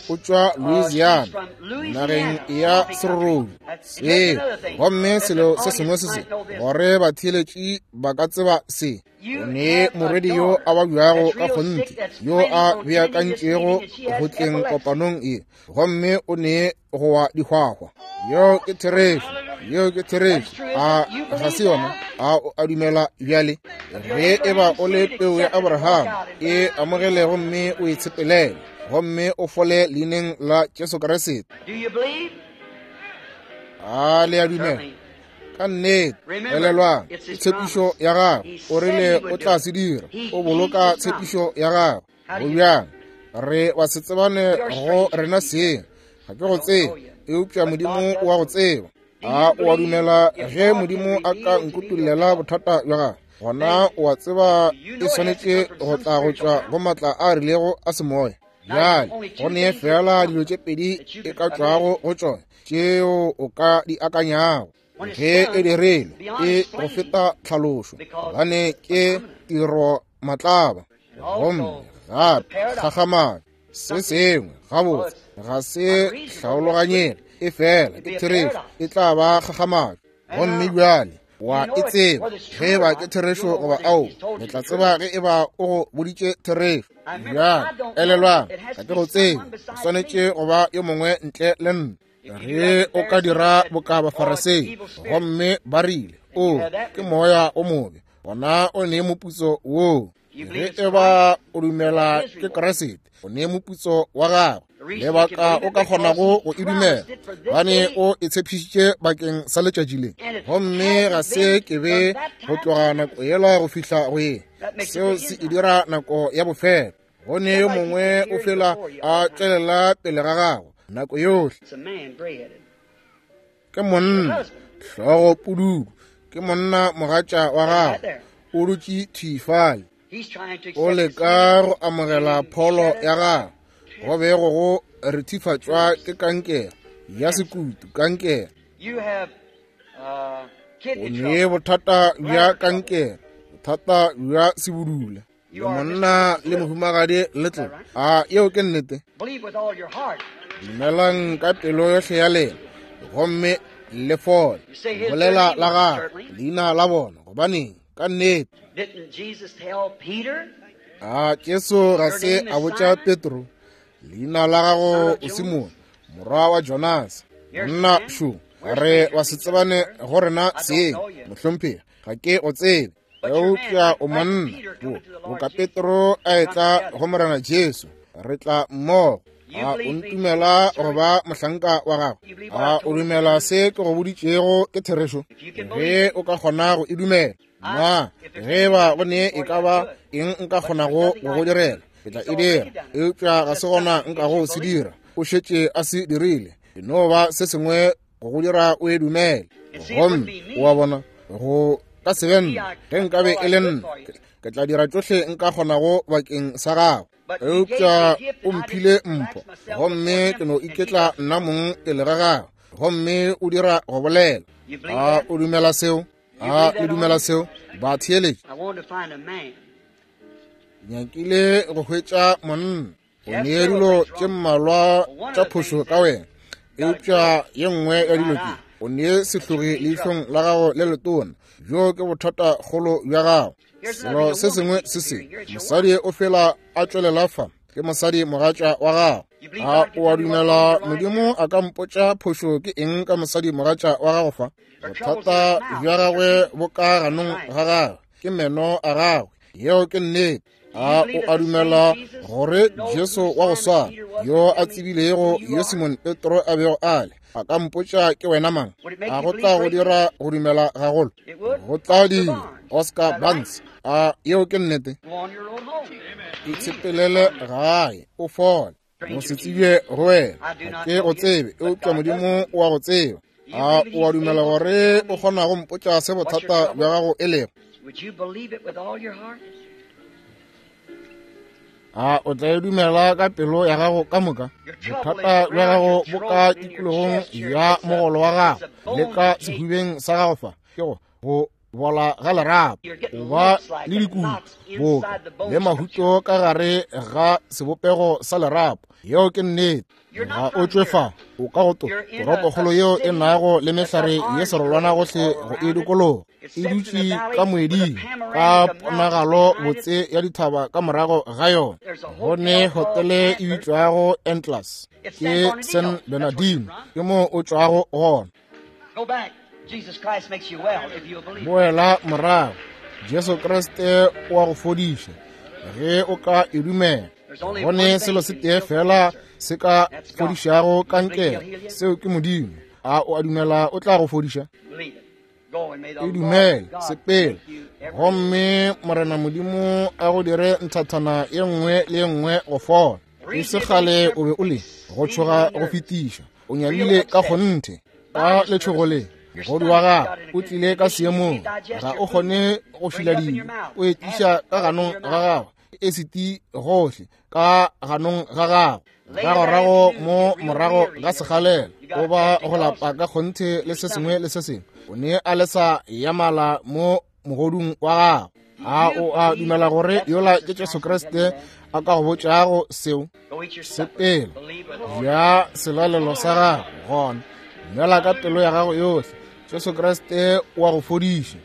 [SPEAKER 2] o tšwa Louisiana, nageng ya serorobi seo. Gomme selo se sengwe se se, gore batheeletši ba ka tseba se, o ne morwedi yo a babjago ka kgonthe, yo a beakantšego go tleng kopanong ye, gomme o ne go wa dihwahwa. Yeo ke therešo, yeo ke therešo. A ga se yona? A o a dumela bjale? Ge e ba o le peu ya Abraham, e amogele gomme o e tshepelele, gomme o fole leineng la Jesu Kriste. A le a dumela? Ka nnete. Elelwang, ke tshepišo ya gagwe. O rile o tla se dira. O boloka tshepišo ya gagwe. Go bjang? Re ba se tsebane go rena seng. Ga ke go tsebe, eupša Modimo o a go tseba. A o a dumela ge Modimo a ka nkutollela bothata bja gago? Gona o a tseba e swanetše go tla go tšwa go matla a rilego a semoya. Bjale, go ne fela dilo tše pedi e ka tšwago go tšona tšeo o ka di akanyago. Ge e dirilwe, e go feta tlhalošo, gobane ke tiro matlaba. Gomme gape kgakgamatšo, se sengwe gabotse ga se hlaologanyege, e fela ke therešo, e tla ba kgakgamatšo. Gomme bjale wa e tseba ge e ba ke therešo goba ao, le tla tseba ge e ba o go boditše therešo. Bjale elelwang, ga ke go tsebe, o swanetše go ba yo mongwe ntle le nna. Ge o ka dira boka Bafarisei, gomme ba rile, O ke moya o mobe, gona o ne moputso woo. Ge e ba o dumela ke Kriste, o ne moputso wa gagwe. Lebaka o ka kgonago go e dumela, gobane o e tshepišitše bakeng sa letšatši le, gomme ga se ke be go tloga nako yela go fihla go ye. Seo se e dira nako ya bofelo. Go ne yo mongwe o fela a tšwelela pele ga gago nako yohle. Ke monna hlogo pududu, ke monna mogatša wa gago, o dutše thwi fale, o leka go amogela pholo ya gago. Go be go go rethifatšwa ke kankere ya sekutu, kankere. O ne bothata bja kankere, bothata bja sebudula. Le monna le mohumagadi Little. A yeo ke nnete? Dumelang ka pelo yohle ya lena, gomme le fole. Bolela la gagwe, leina la bona, gobaneng, ka nnete. A Jesu ga se a botša Petro, leina la gago o Simone, morwa wa Jonase? Monna šo, re wa se tsebane go rena seng, mohlomphegi, ga ke o tsebe. Eupša o monna, boka Petro a etla go Morena Jesu, re tla mmogo. A o ntumela go ba mohlanka wa gago? A o dumela se ke go boditšego ke therešo? Ge o ka kgona go e dumela, na ge ba go ne e ka ba eng nka kgonago go go direla, ke tla e dira. Eupša ga se gona nka go se dira. O šetše a se dirile. E no ba se sengwe go go dira o e dumele. Gomme o a bona, go ka se be nna. Ge nkabe e le nna, ke tla dira tšohle nka kgonago bakeng sa gago. Eupša o mphile mpho, gomme ke no iketla nna mong pele ga gago, gomme o dira go bolela. A o dumela seo? A le dumela seo? Batheeletši, nyakile go hwetša monna. O ne dilo tše mmalwa tša phošo ka wena, eupša ye nngwe ya dilo ke o ne sehlogi leihlong la gago le letona. Bjo ke bothata kgolo bja gago. Selo se sengwe se se mosadi o fela a tšwelela fa, ke mosadi mogatša wa gago. A o a dumela Modimo a ka mpotša phošo ke eng ka mosadi mogatša wa gago fa? Bothata bja gagwe bo ka ganong ga gagwe, ke meno a gagwe. Yeo ke nnete. A o a dumela gore Jesu wa go swana yo a tsebilego yo Simon Petro a bego a le, a ka mpotša ke wena mang? A go tla go dira go dumela gagolo? Go tla dira. Oscar Barnes, a yeo ke nnete? Itshepelele gae o fole. Go se tsebje go wena, ga ke go tsebe, eupša Modimo o a go tseba. A o a dumela gore o kgona go mpotša se bothata bja gago e lego? A o tla e dumela ka pelo ya gago ka moka? Bothata bja gago bo ka tikologong ya mogolo wa gago le ka sehubeng sa gago fa, ke go bola ga lerapo, o ba le dikutu boka le mahuto ka gare ga sebopego sa lerapo. Yeo ke nnete. Ga o tšwe fa, o ka go toropokgolo yeo e nago le mehlare ye serolwana gohle go e dikologa, e dutše ka moeding ka ponagalo botse ya dithaba ka morago ga yona. Go ne hotele e bitšwago Entlas, ke San Bernardino, ke moo o tšwago gona. Boela morago, Jesu Kriste o a go fodiša ge o ka e dumela. Go ne selo se tee fela se ka fodišago kankere, seo ke Modimo. A o a dumela o tla go fodiša? E dumele, sepela, gomme Morena Modimo a go dire nthathana ye nngwe le ye nngwe go fola. E se kgale o be o le go tšhoga go fetiša, o nyamile ka kgonthe ka letšhogo le. Mogodu wa gago o tlile ka seemong, ga o kgone go šila dijo, o e tliša ka ganong ga gago, e seti gohle ka ganong ga gago. Moragorago mo morago ga segalela, o ba go lapa ka kgonthe le se sengwe le se sengwe. O ne a lesa ya mala mo mogodung wa gago. A o a dumela gore yola ke Jesu Kriste a ka go botšago seo? Sepela, ja selalelo sa gago gona, dumela ka pelo ya gago yohle, Jesu Kriste o a go fodiša.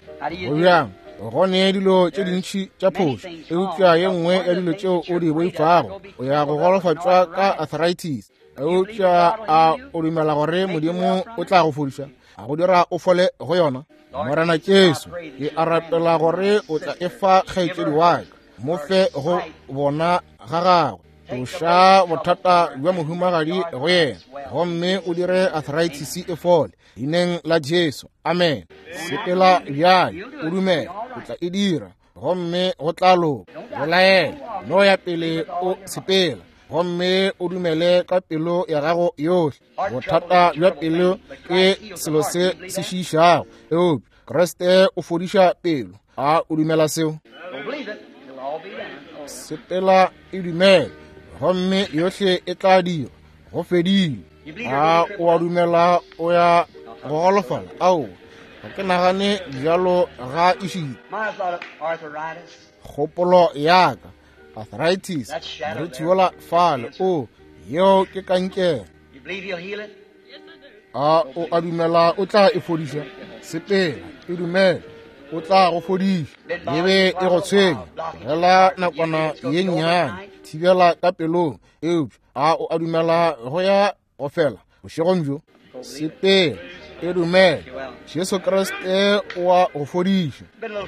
[SPEAKER 2] Go bjang? Go ne dilo tše dintši tša phošo, eupša ye nngwe ya dilo tšeo o di boifago, o ya go golofatšwa ka arthritis. Eupša a o dumela gore Modimo o tla go fodiša, a go dira o fole go yona? Morena Jesu, ke a rapela gore o tla e fa kgaetšedi wa ka, mo fe go bona ga gagwe. Tloša bothata bja mohumagadi go yena, gomme o dire arthritis e fole, leineng la Jesu. Amen. Sepela bjale, o dumele, o tla e dira, gomme go tla loka. Belaela, no ya pele o sepela, gomme o dumele ka pelo ya gago yohle. Bothata bja pelo ke selo se se šiišago, eupša Kriste o fodiša pelo. A o dumela seo? Sepela e dumele, gomme yohle e tla dira. Go fedile. A o a dumela o ya go golofala? Ao, ga ke nagane bjalo ga ešita. Kgopolo ya ka, arthritis, morithi wola fale, o, yeo ke kankere. A o a dumela o tla e fodiša? Sepela, e dumele, o tla go fodiša. E be e go tshwenya tlogela nakwana ye nnyane, thibela ka pelong. Eupša a o a dumela go ya go fela bošegong bjo? Sepela, e dumele, Jesu Kriste o a go fodiša.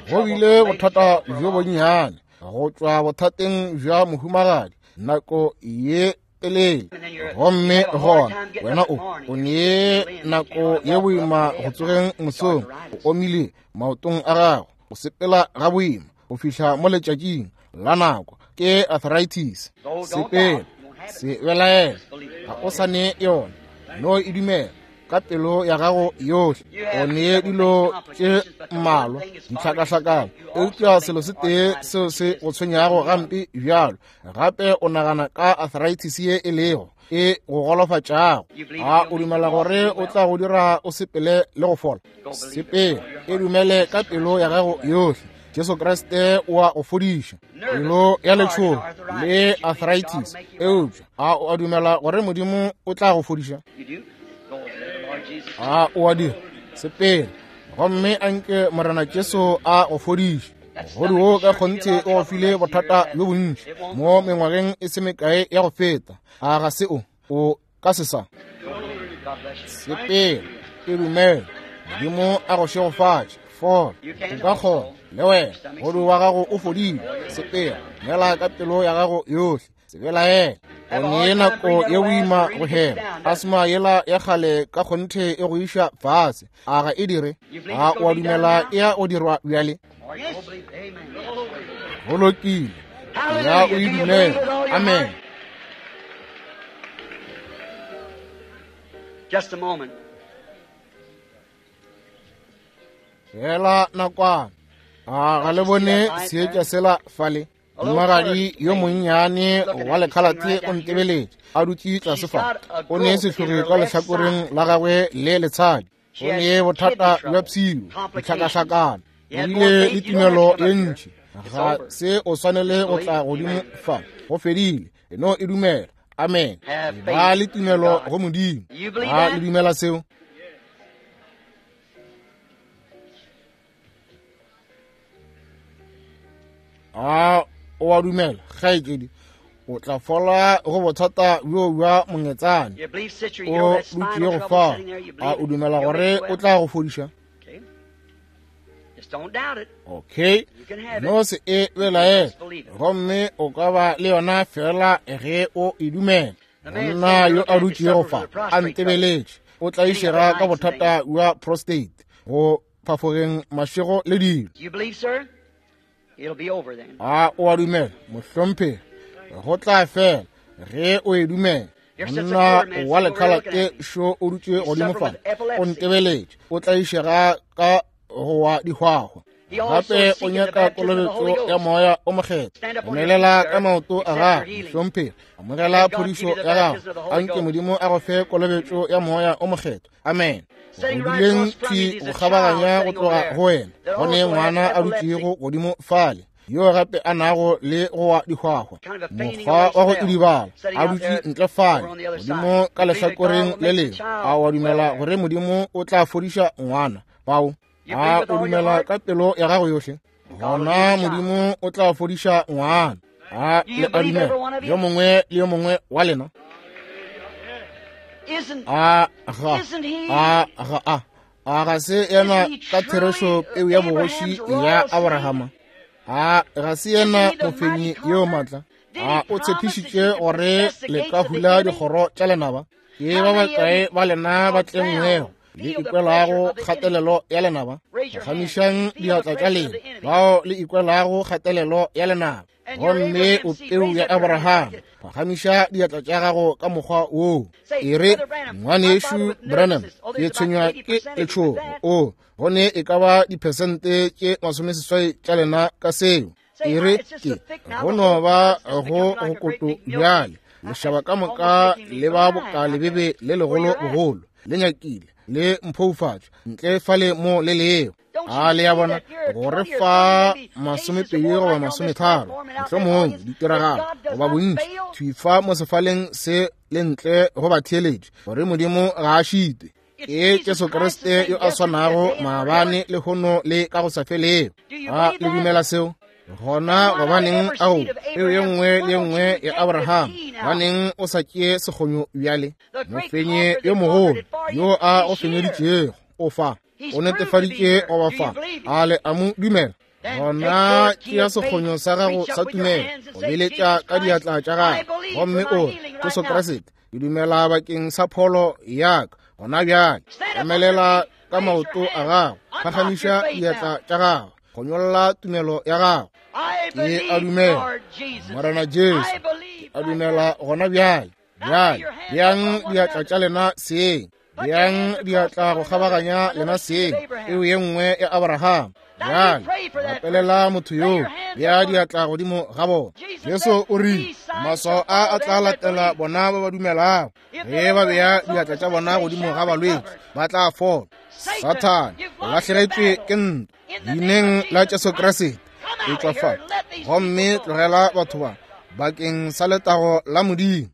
[SPEAKER 2] Go bile bothata bjo bonnyane go tšwa bothateng bja mohumagadi nako ye telele, gomme gona wena o ne nako ye boima go tsogeng mosong, o omile maotong a gago, o sepela ga boima go fihla mo letšatšing la nako, ke arthritis. Sepela, se belaela, ga o sa ne yona, no e dumela ka pelo ya gago yohle. O ne dilo tše mmalwa ditlhakahlakano, eupša selo se tee seo se go tshwenyago gampe bjalo, gape o nagana ka arthritis ye e lego e go golofatšago. A o dumela gore o tla go dira o sepele le go fola? Sepela, e dumele ka pelo ya gago yohle. Jesu Kriste o a go fodiša. Pelo ya letšhogo le arthritis. Eupša a o a dumela gore Modimo o tla go fodiša? A o a dira? Sepela, gomme a nke Morena Jesu a go fodiše. Mogodu wo ka kgonthe o go file bothata bjo bontši mo mengwageng e se mekae ya go feta. A ga se o? O ka se sa. Sepela, e dumela. Modimo a go šegofatše. Fola, o ka kgona le wena. Mogodu wa gago o fodile. Sepela, dumela ka pelo ya gago yohle. Se belaele. O ne nako ye boima go hema. Asma yela ya kgale ka kgonthe e go iša fase. A ga e dire? A o a dumela e ya go dirwa bjale? Go lokile. Ya o e dumela. Amen.
[SPEAKER 3] Just a moment.
[SPEAKER 2] Fela nakwana. A ga le bone seetša sela fale? Mohumagadi yo monnyane wa lekhalate o ntebeletše a dutše tlase fa. O ne sehlogi ka lehlakoreng la gagwe le letshadi. O ne bothata bja pshio, ditlhakahlakano. O bile le tumelo ye ntši. Ga se o swanele go tla godimo fa. Go fedile. E no e dumela. Amen. Ba le tumelo go Modimo. A le dumela seo? A o a dumela, kgaetšedi, o tla fola go bothata bjo bja mongetsane o dutše go fa. A o dumela gore o tla go fodiša? Okay, no se e belaele, gomme o ka ba le yona fela ge o e dumela. Monna yo a dutšego fa a ntebeletše o tlaišega ka bothata bja prostate, go phafogeng mašego le dilo. A o a dumela, mohlomphegi? Go tla fela ge o e dumela. Monna wa lekhalate šo o dutše godimo fa o ntebeletše, o tlaišega ka go wa dihwahwa. Gape o nyaka kolobetšo ya Moya o Mokgethwa. Emelela ka maoto a gago, mohlomphegi. Amogela phodišo ya gago. Anke Modimo a go fe kolobetšo ya Moya o Mokgethwa. Amen. Go duleng thwi go kgabaganya go tloga go wena, go ne ngwana a dutšego godimo fale, yo gape a nago le go wa dihwahwa, mokgwa wa go idibala, a dutše ntle fale godimo ka lehlakoreng le lengwe. A wa dumela gore Modimo o tla fodiša ngwana bao? A o dumela ka pelo ya gago yohle? Gona Modimo o tla fodiša ngwana. A le a dumela, yo mongwe le yo mongwe wa lena? A ga a ga a a ga se yena ka therešo peu ya bogoši ya Abrahama? A ga se yena mofenyi yo matla? A o tshepišitše gore le ka hula dikgoro tša lenaba? Ke ba bakae ba lena ba tlengwego le ikwelago kgatelelo ya lenaba? Phagamišang diatla tša lena, bao le ikwelago kgatelelo ya lenaba. Gomme o peu ya Abraham, phagamiša diatla tša gago ka mokgwa woo. E re, Ngwanešu Branham, ke tshwenywa ke letšhogo. O, go ne e ka ba diphesente tše 80 tša lena ka seo. E re, ke go no ba go go koto bjale. Lešaba ka moka le ba boka lebebe le legolo bogolo, le nyakile le mphoufatšwa ntle fale mo le leo. A le ya bona gore fa 20 goba 30 mohlomongwe ditiragalo goba bontši thwi fa mo sefaleng se le ntle go batheeletši, gore Modimo ga a šitwe. Ke Jesu Kriste yo a swanago maabane, lehono le ka go sa felego. A le dumela seo? Gona gobaneng ao peo ye nngwe le ye nngwe ya Abraham, gobaneng o sa tšee sekgonyo bjale? Mofenyi yo mogolo yo a go fenyeditšego o fa, o netefaditše go ba fa. A le a mo dumela? Gona tšea sekgonyo sa gago sa tumelo, o beletša ka diatla tša gago, gomme o re, Jesu Kriste, ke dumela bakeng sa pholo ya ka gona bjale. Emelela ka maoto a gago, phagamiša diatla tša gago, kgonyolla tumelo ya gago. Ke a dumela, Morena Jesu, ke a dumela gona bjale. Bjale, beang diatla tša lena seeng, beang diatla go kgabaganya lena seeng, peo ye nngwe ya Abraham. Bjale, rapelela motho yoo, bea diatla godimo ga bona. Jesu o rile, maswao a a tla latela bona ba ba dumelago. Ge ba bea diatla tša bona godimo ga balwetši, ba tla fola. Sathane, o lahlegetšwe ke ntwa. Leineng la Jesu Kriste. Etšwa fa gomme tlogela batho ba, bakeng sa letago la Modimo.